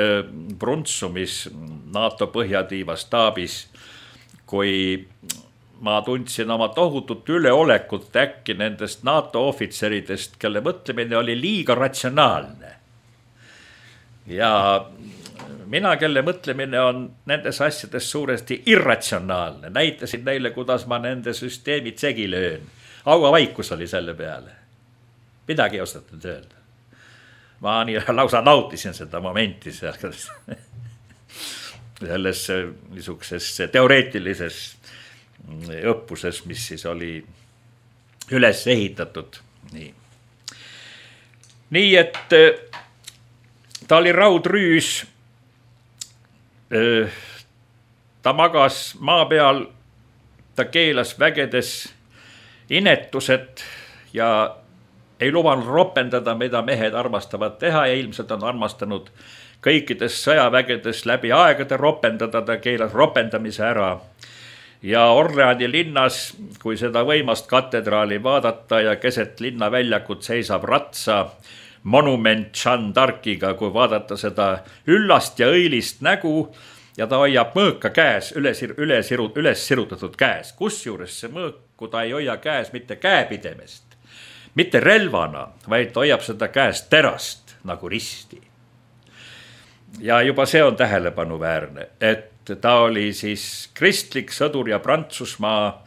Brunssumis, NATO põhjatiiva staabis, kui ma tundsin oma tohutut üleolekut äkki nendest NATO ohvitseridest, kelle mõtlemine oli liiga ratsionaalne. Ja mina, kelle mõtlemine on nendes asjades suuresti irratsionaalne, näitasin neile, kuidas ma nende süsteemid segi löön. Hauavaikus oli selle peale. Midagi ei osatud öelda. Ma nii lausa nautisin seda momenti selles, selles niisuguses teoreetilises õppuses, mis siis oli üles ehitatud. Nii, nii et ta oli raudrüüs, ta magas maa peal, ta keelas vägedes inetused ja ei lubanud ropendada, mida mehed armastavad teha ja ilmselt on armastanud kõikides sõjavägedes läbi aegade ropendada, ta keelas ropendamise ära. Ja Orleani linnas, kui seda võimast katedraali vaadata ja keset linna väljakut seisab ratsa monument Jeanne d'Arciga, kui vaadata seda üllast ja õilist nägu ja ta hoiab mõõka käes, üles, üles, üles sirutatud käes. Kusjuures see mõõku ta ei hoia käes mitte käepidemest, mitte relvana, vaid ta hoiab seda käest terast nagu risti. Ja juba see on tähelepanuväärne, et ta oli siis kristlik sõdur ja Prantsusmaa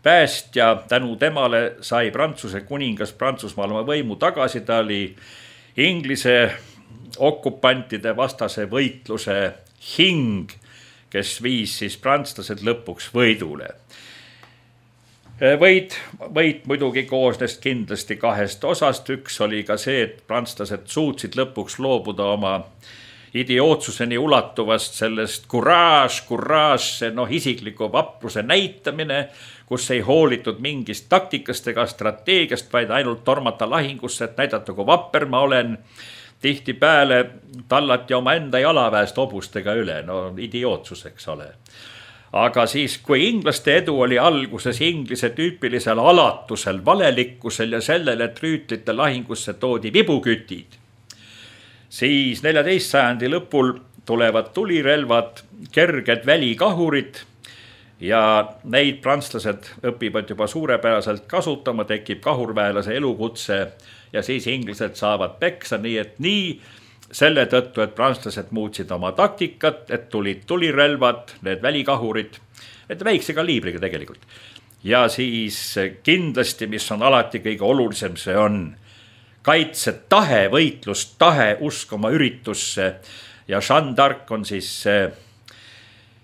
päästja. Tänu temale sai Prantsuse kuningas Prantsusmaal oma võimu tagasi. Ta oli Inglise okupantide vastase võitluse hing, kes viis siis prantslased lõpuks võidule. Võit, võit muidugi koosnes kindlasti kahest osast. Üks oli ka see, et prantslased suutsid lõpuks loobuda oma idiootsuseni ulatuvast sellest courage, courage, see noh, isikliku vapruse näitamine, kus ei hoolitud mingist taktikast ega strateegiast, vaid ainult tormata lahingusse, et näidata, kui vapper ma olen. Tihti pääle tallati oma enda jalaväest hobustega üle, no idiootsus, eks ole. Aga siis, kui inglaste edu oli alguses inglise tüüpilisel alatusel, valelikkusel ja sellele, et rüütlite lahingusse toodi vibukütid, siis neljateist sajandi lõpul tulevad tulirelvad, kerged välikahurid ja neid prantslased õpivad juba suurepäraselt kasutama, tekib kahurväelase elukutse ja siis inglased saavad peksa, nii et nii selle tõttu, et prantslased muutsid oma taktikat, et tulid tulirelvad, need välikahurid, et väikse kaliibriga tegelikult. Ja siis kindlasti, mis on alati kõige olulisem, see on kaitsetahe, võitlustahe, usk oma üritusse. Ja Jeanne d'Arc on siis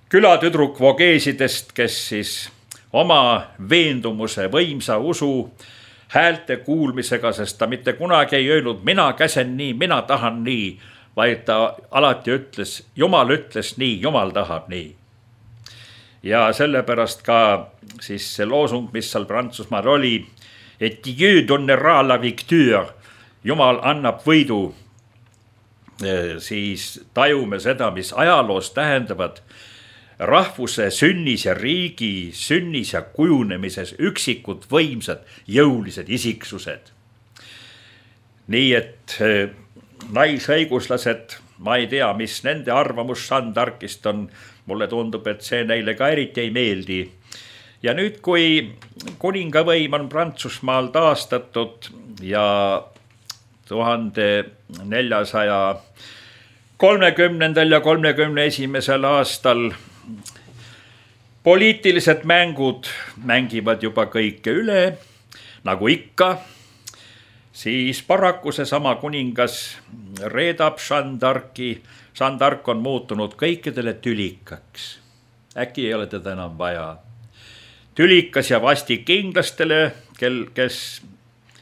külatüdruk vogeesidest, kes siis oma veendumuse, võimsa usu, häälte kuulmisega, sest ta mitte kunagi ei öelnud, mina käsen nii, mina tahan nii, vaid ta alati ütles, Jumal ütles nii, Jumal tahab nii. Ja sellepärast ka siis see loosung, mis seal Prantsusmaal oli, et Dieu donnera la victoire, Jumal annab võidu, siis tajume seda, mis ajaloos tähendavad rahvuse sünnis ja riigi sünnis ja kujunemises üksikud võimsad jõulised isiksused. Nii et naisõiguslased, ma ei tea, mis nende arvamus Jeanne d'Arcist on, mulle tundub, et see neile ka eriti ei meeldi. Ja nüüd, kui kuningavõim on Prantsusmaal taastatud ja tuhande neljasaja kolmekümnendal ja kolmekümne esimesel aastal poliitilised mängud mängivad juba kõike üle, nagu ikka, siis paraku see sama kuningas reedab Jeanne d'Arci. Jeanne d'Arc on muutunud kõikidele tülikaks. Äkki ei ole teda enam vaja. Tülikas ja vastik inglastele, kel, kes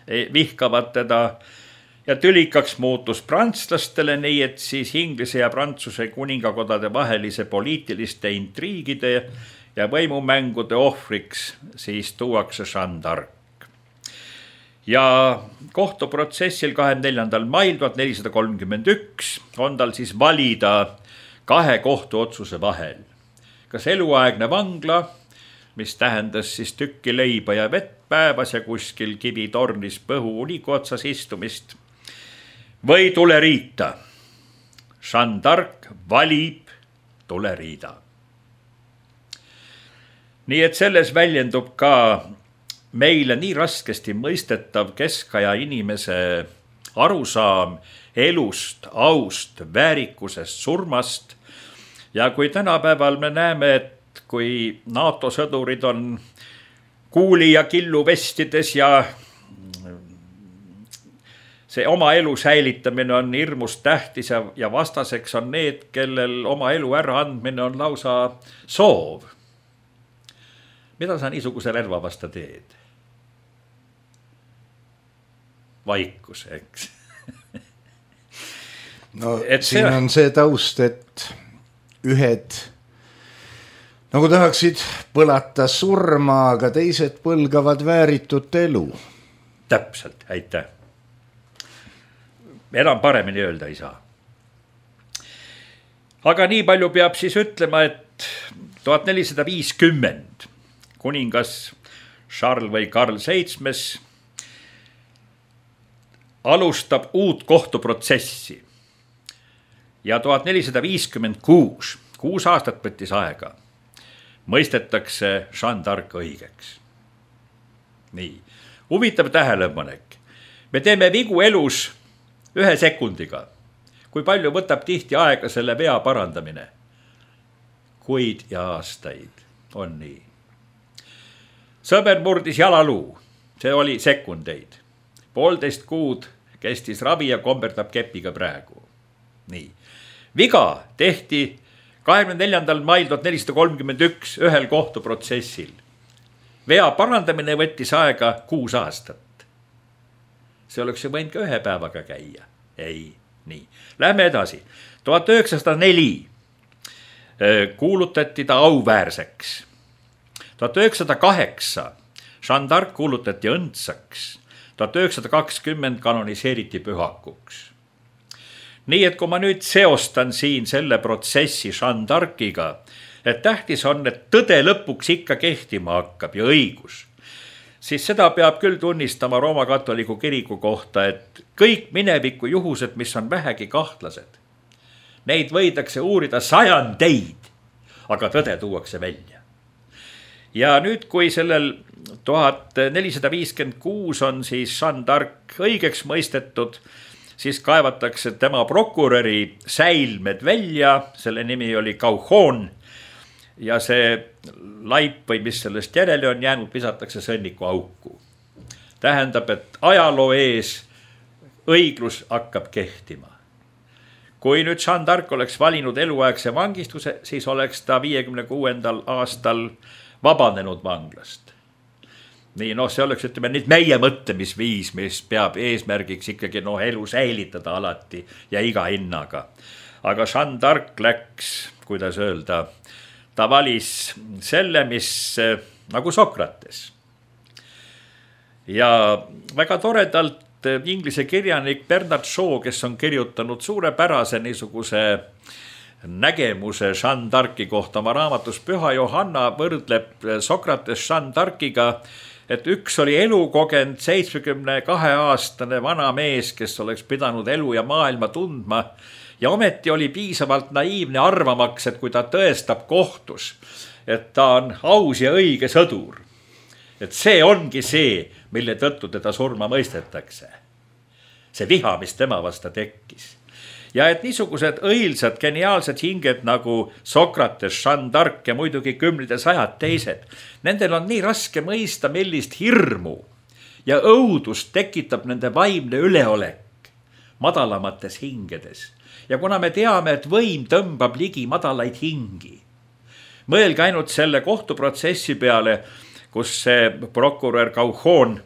vihkavad teda, ja tülikaks muutus prantslastele, nii et siis Inglise ja Prantsuse kuningakodade vahelise poliitiliste intriigide ja võimumängude ohvriks siis tuuakse Jeanne d'Arc. Ja kohtuprotsessil kahekümne neljandal mail tuhat nelisada kolmkümmend üks on tal siis valida kahe kohtuotsuse vahel. Kas eluaegne vangla, mis tähendas siis tükki leiba ja vett päevas ja kuskil kivitornis põhu uniku otsas istumist, või tuleriita. Jeanne d'Arc valib tuleriida. Nii et selles väljendub ka meile nii raskesti mõistetav keskaja inimese arusaam elust, aust, väärikusest, surmast. Ja kui tänapäeval me näeme, et kui NATO sõdurid on kuuli ja killu vestides ja see oma elu säilitamine on hirmus tähtis ja vastaseks on need, kellel oma elu ära andmine on lausa soov. Mida sa niisuguse relva vasta teed? Vaikus, eks. No et siin see... on see taust, et ühed nagu tahaksid põlata surma, aga teised põlgavad vääritut elu. Täpselt, aitäh. Enam paremini öelda ei saa. Aga nii palju peab siis ütlema, et tuhat nelisada viiskümmend kuningas Charles või Karl seitsmes alustab uut kohtuprotsessi ja tuhat nelisada viiskümmend kuus, kuus aastat võttis aega, mõistetakse Jeanne d'Arc õigeks. Nii, huvitav tähelepanek. Me teeme vigu elus ühe sekundiga. Kui palju võtab tihti aega selle vea parandamine? Kuid ja aastaid on nii. Sõber murdis jalaluu, see oli sekundeid. Poolteist kuud kestis ravi ja komberdab kepiga praegu. Nii. Viga tehti kahekümne neljandal mail tuhat nelisada kolmkümmend üks ühel kohtuprotsessil. Vea parandamine võttis aega kuus aastat. See oleks ju võinud ka ühe päevaga käia. Ei, nii. Lähme edasi. tuhat üheksasada neli kuulutati ta auväärseks. tuhat üheksasada kaheksa Jeanne d'Arc kuulutati õndsaks. tuhat üheksasada kakskümmend kanoniseeriti pühakuks. Nii, et kui ma nüüd seostan siin selle protsessi Jeanne d'Arciga, et tähtis on, et tõde lõpuks ikka kehtima hakkab ja õigus, siis seda peab küll tunnistama Rooma katoliku kiriku kohta, et kõik mineviku juhused, mis on vähegi kahtlased, neid võidakse uurida sajandeid, aga tõde tuuakse välja. Ja nüüd, kui sellel tuhat nelisada viiskümmend kuus on siis Jeanne d'Arc õigeks mõistetud, siis kaevatakse tema prokuröri säilmed välja, selle nimi oli Cauchon, ja see laip või mis sellest järele on jäänud, visatakse sõnniku auku. Tähendab, et ajaloo ees õiglus hakkab kehtima. Kui nüüd Jeanne d'Arc oleks valinud eluaegse vangistuse, siis oleks ta viiekümne kuuendal aastal vabanenud vanglast. Nii, noh, see oleks, ütleme, nüüd meie mõtlemisviis, mis peab eesmärgiks ikkagi noh, elu säilitada alati ja iga hinnaga. Aga Jeanne d'Arc läks, kuidas öelda, ta valis selle, mis nagu Sokrates. Ja väga toredalt inglise kirjanik Bernard Shaw, kes on kirjutanud suurepärase niisuguse nägemuse Jeanne d'Arci kohta oma raamatus Püha Johanna, võrdleb Sokrates Jeanne d'Arciga, et üks oli elukogend seitsmekümne kahe aastane vana mees, kes oleks pidanud elu ja maailma tundma, ja ometi oli piisavalt naiivne arvamaks, et kui ta tõestab kohtus, et ta on aus ja õige sõdur, et see ongi see, mille tõttu teda surma mõistetakse. See viha, mis tema vasta tekkis. Ja et niisugused õilsad, geniaalsed hinged nagu Sokrates, Jeanne d'Arc ja muidugi kümned ja sajad teised, nendel on nii raske mõista, millist hirmu ja õudust tekitab nende vaimne üleolek madalamates hingedes. Ja kuna me teame, et võim tõmbab ligi madalaid hingi, mõelge ainult selle kohtuprotsessi peale, kus see prokurör Cauchon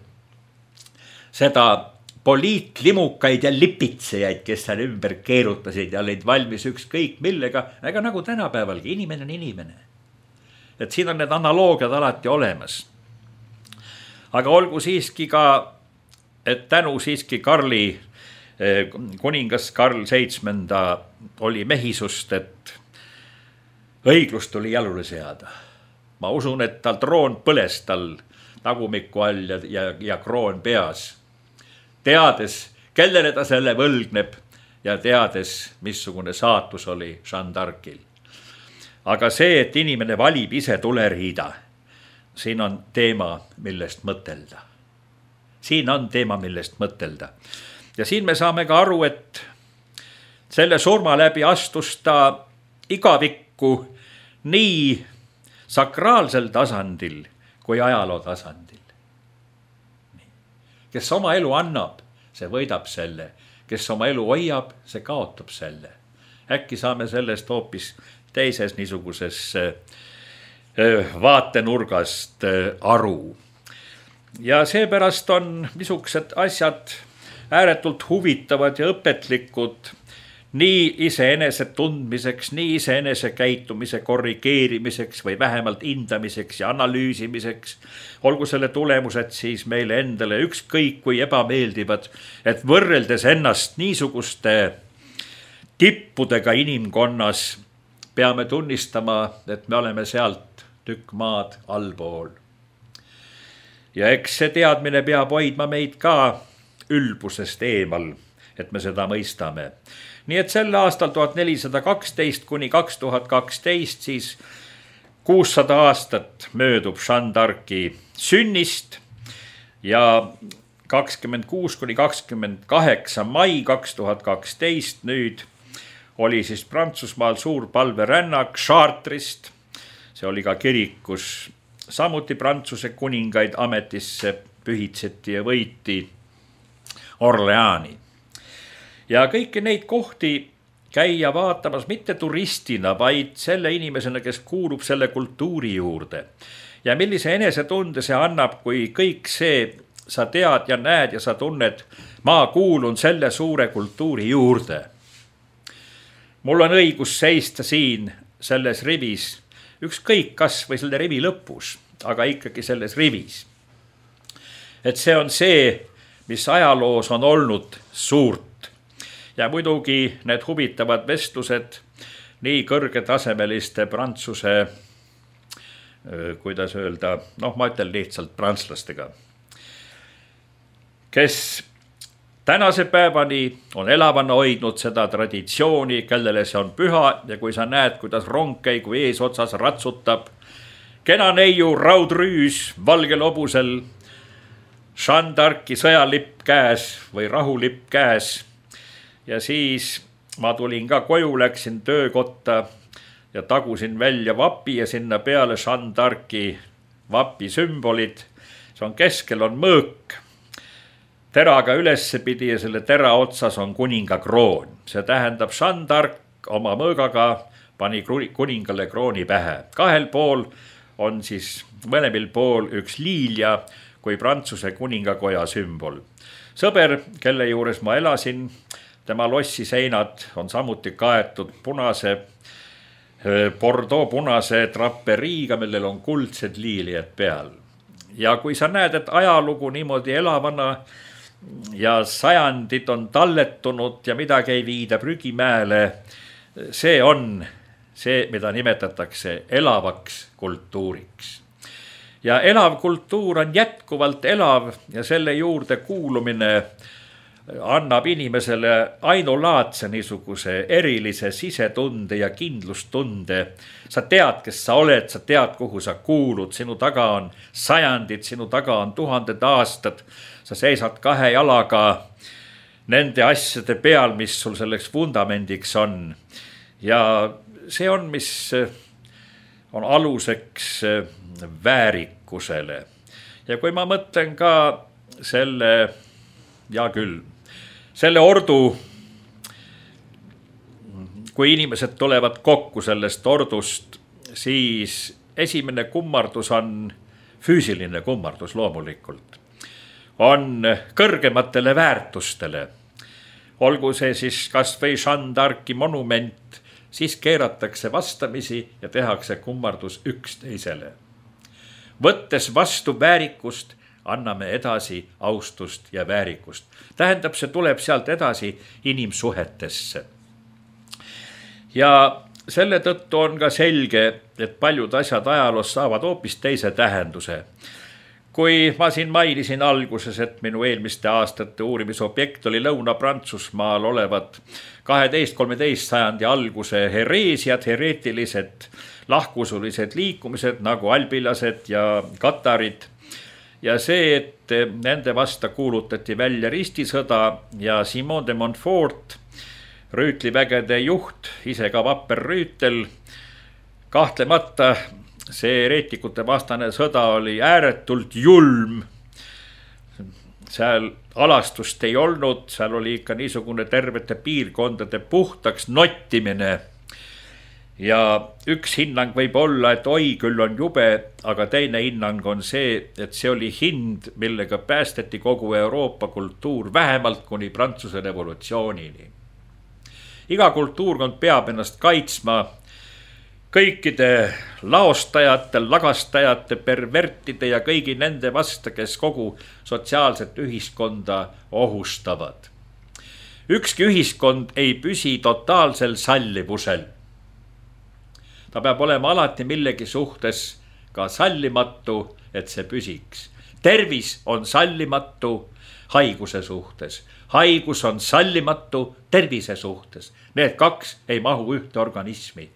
seda poliitlimukaid ja lipitsejaid, kes seal ümber keerutasid ja olid valmis ükskõik millega, aga nagu tänapäevalgi, inimene on inimene. Et siin on need analoogiad alati olemas. Aga olgu siiski ka, et tänu siiski Karli, kuningas Karl seitsmenda oli mehisust, et õiglus tuli jalule seada. Ma usun, et tal troon põles tal tagumiku all ja, ja, ja kroon peas. Teades, kellele ta selle võlgneb ja teades, missugune saatus oli Jeanne d'Arcil. Aga see, et inimene valib ise tuleriida, siin on teema, millest mõtelda. Siin on teema, millest mõtelda. Ja siin me saame ka aru, et selle surma läbi astus ta igavikku nii sakraalsel tasandil kui ajaloo tasandil. Kes oma elu annab, see võidab selle. Kes oma elu hoiab, see kaotab selle. Äkki saame sellest hoopis teises niisuguses vaatenurgast aru. Ja seepärast on niisugused asjad ääretult huvitavad ja õpetlikud nii iseenese tundmiseks, nii iseenese käitumise korrigeerimiseks või vähemalt hindamiseks ja analüüsimiseks. Olgu selle tulemused siis meile endale ükskõik kui ebameeldivad, et võrreldes ennast niisuguste tippudega inimkonnas peame tunnistama, et me oleme sealt tükk maad allpool. Ja eks see teadmine peab hoidma meid ka ülbusest eemal, et me seda mõistame. Nii et sel aastal tuhat nelisada kaksteist kuni kaks tuhat kaksteist siis kuussada aastat möödub Jeanne d'Arci sünnist ja kakskümmend kuus kuni kakskümmend kaheksa mai kaks tuhat kaksteist nüüd oli siis Prantsusmaal suur palverännak Chartrist. See oli ka kirik, kus samuti Prantsuse kuningaid ametisse pühitseti ja võiti Orleani. Ja kõiki neid kohti käia vaatamas mitte turistina, vaid selle inimesena, kes kuulub selle kultuuri juurde. Ja millise enesetunde see annab, kui kõik see sa tead ja näed ja sa tunned, ma kuulun selle suure kultuuri juurde. Mul on õigus seista siin selles rivis, ükskõik kas või selle rivi lõpus, aga ikkagi selles rivis. Et see on see, mis ajaloos on olnud suurt. Ja muidugi need huvitavad vestlused nii kõrgetasemeliste Prantsuse, kuidas öelda, noh ma ütlen lihtsalt prantslastega, kes tänase päevani on elavana hoidnud seda traditsiooni, kellele see on püha ja kui sa näed, kuidas rong käigu eesotsas ratsutab, kena neiu raudrüüs valgel hobusel, Jeanne d'Arci sõjalipp käes või rahulipp käes. Ja siis ma tulin ka koju, läksin töökotta ja tagusin välja vapi ja sinna peale Jeanne d'Arci vapi sümbolid. See on keskel on mõõk, teraga ülesse pidi ja selle tera otsas on kuninga kroon. See tähendab, Jeanne d'Arc oma mõõgaga pani kuningale krooni pähe. Kahel pool on siis mõlemil pool üks liilja kui Prantsuse kuningakoja sümbol. Sõber, kelle juures ma elasin, tema lossi seinad on samuti kaetud punase, Bordeaux punase traperiiga, millel on kuldsed liilijad peal. Ja kui sa näed, et ajalugu niimoodi elavana ja sajandid on talletunud ja midagi ei viida prügimäele, see on see, mida nimetatakse elavaks kultuuriks. Ja elav kultuur on jätkuvalt elav ja selle juurde kuulumine annab inimesele ainulaadse niisuguse erilise sisetunde ja kindlustunde. Sa tead, kes sa oled, sa tead, kuhu sa kuulud, sinu taga on sajandid, sinu taga on tuhanded aastad. Sa seisad kahe jalaga nende asjade peal, mis sul selleks vundamendiks on. Ja see on, mis on aluseks väärikusele. Ja kui ma mõtlen ka selle, ja küll, selle ordu, kui inimesed tulevad kokku sellest ordust, siis esimene kummardus on füüsiline kummardus loomulikult. On kõrgematele väärtustele. Olgu see siis kas või Jeanne d'Arci monument, siis keeratakse vastamisi ja tehakse kummardus üksteisele. Võttes vastu väärikust, anname edasi austust ja väärikust. Tähendab, see tuleb sealt edasi inimsuhetesse. Ja selle tõttu on ka selge, et paljud asjad ajaloos saavad hoopis teise tähenduse. Kui ma siin mainisin alguses, et minu eelmiste aastate uurimisobjekt oli Lõuna-Prantsusmaal olevad kaheteist kolmeteist sajandi alguse hereesiad, hereetilised, lahkusulised liikumised nagu albilased ja katarid, ja see, et nende vasta kuulutati välja ristisõda ja Simon de Montfort rüütlivägede juht, ise ka vapper rüütel. Kahtlemata see reetikute vastane sõda oli ääretult julm. Seal alastust ei olnud, seal oli ikka niisugune tervete piirkondade puhtaks nottimine. Ja üks hinnang võib olla, et oi, küll on jube, aga teine hinnang on see, et see oli hind, millega päästeti kogu Euroopa kultuur vähemalt kuni Prantsuse revolutsioonini. Iga kultuurkond peab ennast kaitsma kõikide laostajate, lagastajate, pervertide ja kõigi nende vastu, kes kogu sotsiaalset ühiskonda ohustavad. Ükski ühiskond ei püsi totaalsel sallivusel. Ta peab olema alati millegi suhtes ka sallimatu, et see püsiks. Tervis on sallimatu haiguse suhtes. Haigus on sallimatu tervise suhtes. Need kaks ei mahu ühte organismi.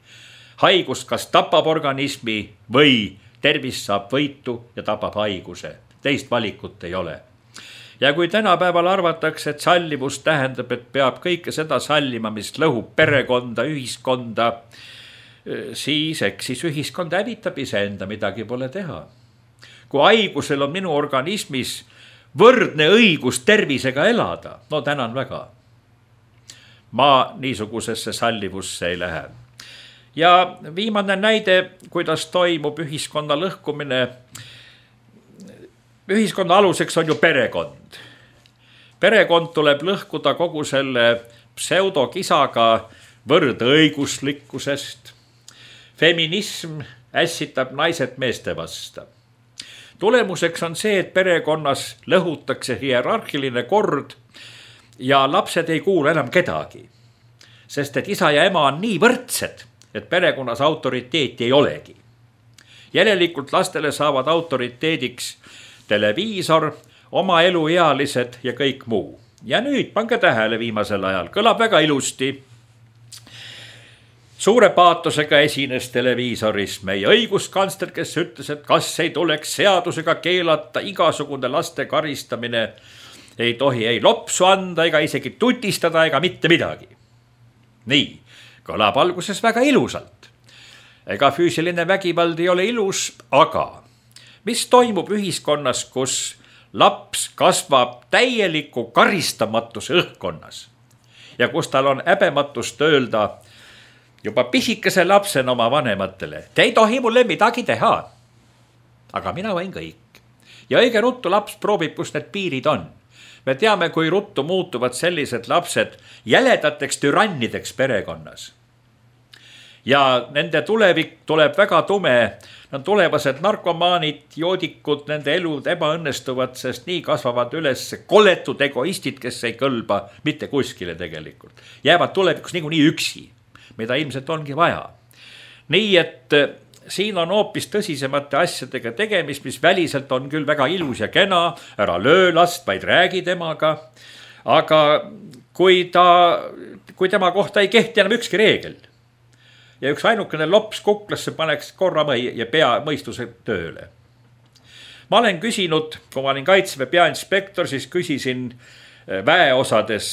Haigus kas tapab organismi või tervis saab võitu ja tapab haiguse. Teist valikut ei ole. Ja kui tänapäeval arvatakse, et sallivus tähendab, et peab kõike seda sallima, mis lõhub perekonda, ühiskonda, siis eksis ühiskond hävitab iseenda, midagi pole teha. Kui haigusel on minu organismis võrdne õigus tervisega elada, no tänan väga. Ma niisugusesse sallivusse ei lähe. Ja viimane näide, kuidas toimub ühiskonna lõhkumine. Ühiskonna aluseks on ju perekond. Perekond tuleb lõhkuda kogu selle pseudokisaga võrdõiguslikkusest. Feminism ässitab naised meeste vasta. Tulemuseks on see, et perekonnas lõhutakse hierarhiline kord ja lapsed ei kuulu enam kedagi. Sest et isa ja ema on nii võrdsed, et perekonnas autoriteeti ei olegi. Järelikult lastele saavad autoriteediks televiisor, oma eluealised ja kõik muu. Ja nüüd pange tähele viimasel ajal, kõlab väga ilusti. Suure paatosega esines televiisoris meie õiguskantsler, kes ütles, et kas ei tuleks seadusega keelata igasugune laste karistamine. Ei tohi ei lopsu anda, ega isegi tutistada, ega mitte midagi. Nii, kõlab alguses väga ilusalt. Ega füüsiline vägivald ei ole ilus, aga mis toimub ühiskonnas, kus laps kasvab täieliku karistamatuse õhkkonnas ja kus tal on häbematust öelda juba pisikese lapsena oma vanematele. Te ei tohi mulle midagi teha, aga mina võin kõik. Ja õige ruttu laps proovib, kus need piirid on. Me teame, kui ruttu muutuvad sellised lapsed jäledateks türannideks perekonnas. Ja nende tulevik tuleb väga tume. Nad tulevased narkomaanid, joodikud, nende elud ebaõnnestuvad, sest nii kasvavad üles koletud egoistid, kes ei kõlba mitte kuskile tegelikult. Jäävad tulevikus niikuinii üksi, mida ilmselt ongi vaja. Nii, et siin on hoopis tõsisemate asjadega tegemist, mis väliselt on küll väga ilus ja kena, ära löö last, vaid räägi temaga. Aga kui, ta, kui tema kohta ei kehti enam ükski reegel ja üks ainukene lops kuklasse paneks korra mõi ja pea mõistuse tööle. Ma olen küsinud, kui ma olin Kaitseväe peainspektor, siis küsisin väeosades,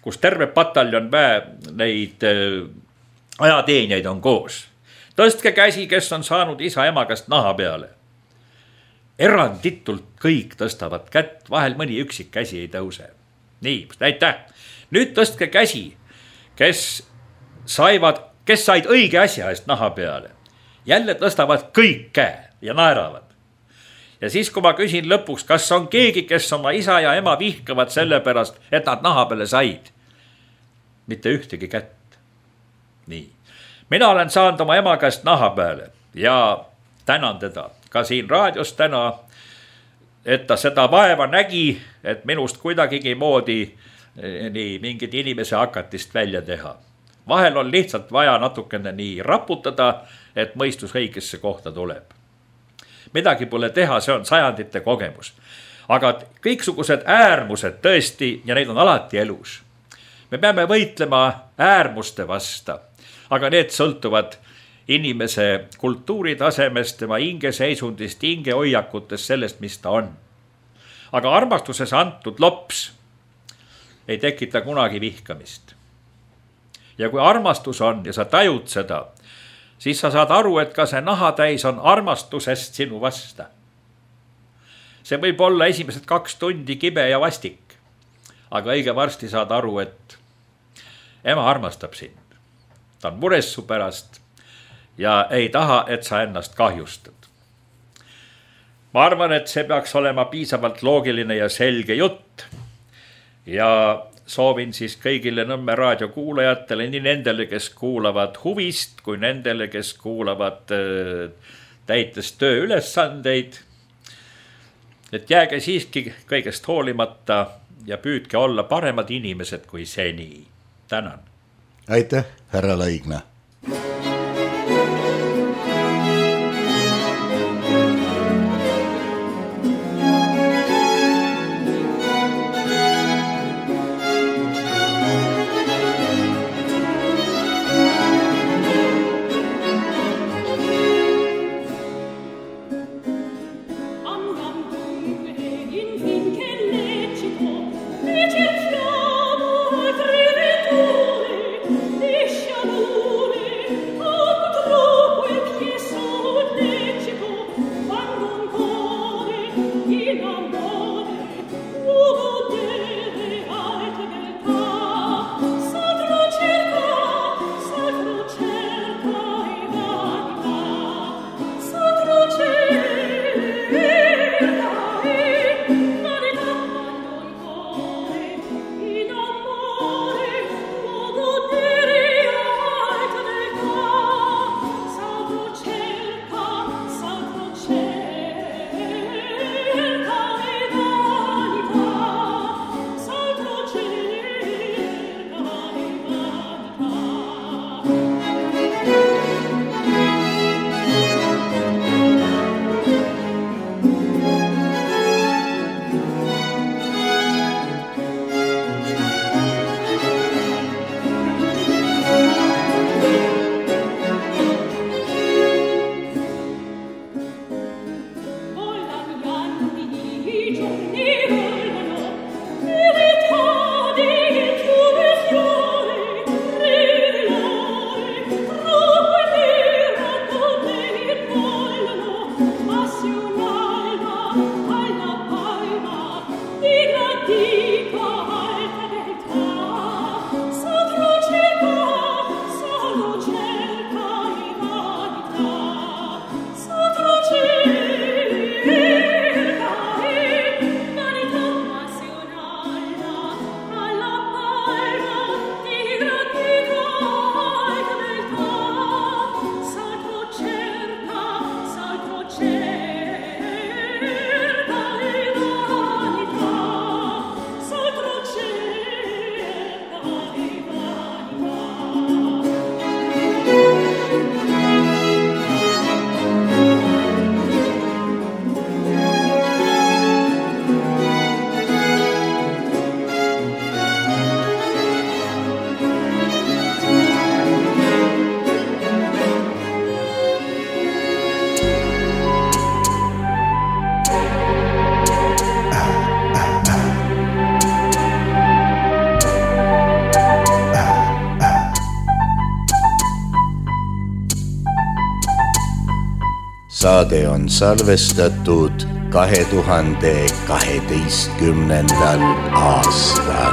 kus terve pataljon väe neid ajateenijaid on koos. Tõstke käsi, kes on saanud isa ema käest naha peale. Eranditult kõik tõstavad kätt, vahel mõni üksik käsi ei tõuse. Nii, aitäh. Nüüd tõstke käsi, kes saivad, kes said õige asja eest naha peale. Jälle tõstavad kõik käe ja naeravad. Ja siis, kui ma küsin lõpuks, kas on keegi, kes oma isa ja ema vihkavad selle pärast, et nad naha peale said. Mitte ühtegi kätt. Nii. Mina olen saanud oma ema käest naha peale ja tänan teda ka siin raadios täna, et ta seda vaeva nägi, et minust kuidagigi moodi nii mingid inimese hakatist välja teha. Vahel on lihtsalt vaja natukene nii raputada, et mõistus õigesse kohta tuleb. Midagi pole teha, see on sajandite kogemus. Aga kõiksugused äärmused tõesti, ja neid on alati elus. Me peame võitlema äärmuste vasta. Aga need sõltuvad inimese kultuuritasemest, tema hingeseisundist, hingehoiakutest, sellest, mis ta on. Aga armastuses antud lops ei tekita kunagi vihkamist. ja kui armastus on ja sa tajud seda, siis sa saad aru, et ka see nahatäis on armastusest sinu vasta. See võib olla esimesed kaks tundi kibe ja vastik, aga õige varsti saad aru, et ema armastab sind. Ta on mures su pärast ja ei taha, et sa ennast kahjustad. Ma arvan, et see peaks olema piisavalt loogiline ja selge jutt ja soovin siis kõigile Nõmme raadio kuulajatele, nii nendele, kes kuulavad huvist, kui nendele, kes kuulavad täites tööülesandeid, et jääge siiski kõigest hoolimata ja püüdke olla paremad inimesed kui seni. Tänan. Aitäh, härra Laigna. Saade on salvestatud kahe tuhande kaheteistkümnendal aastal.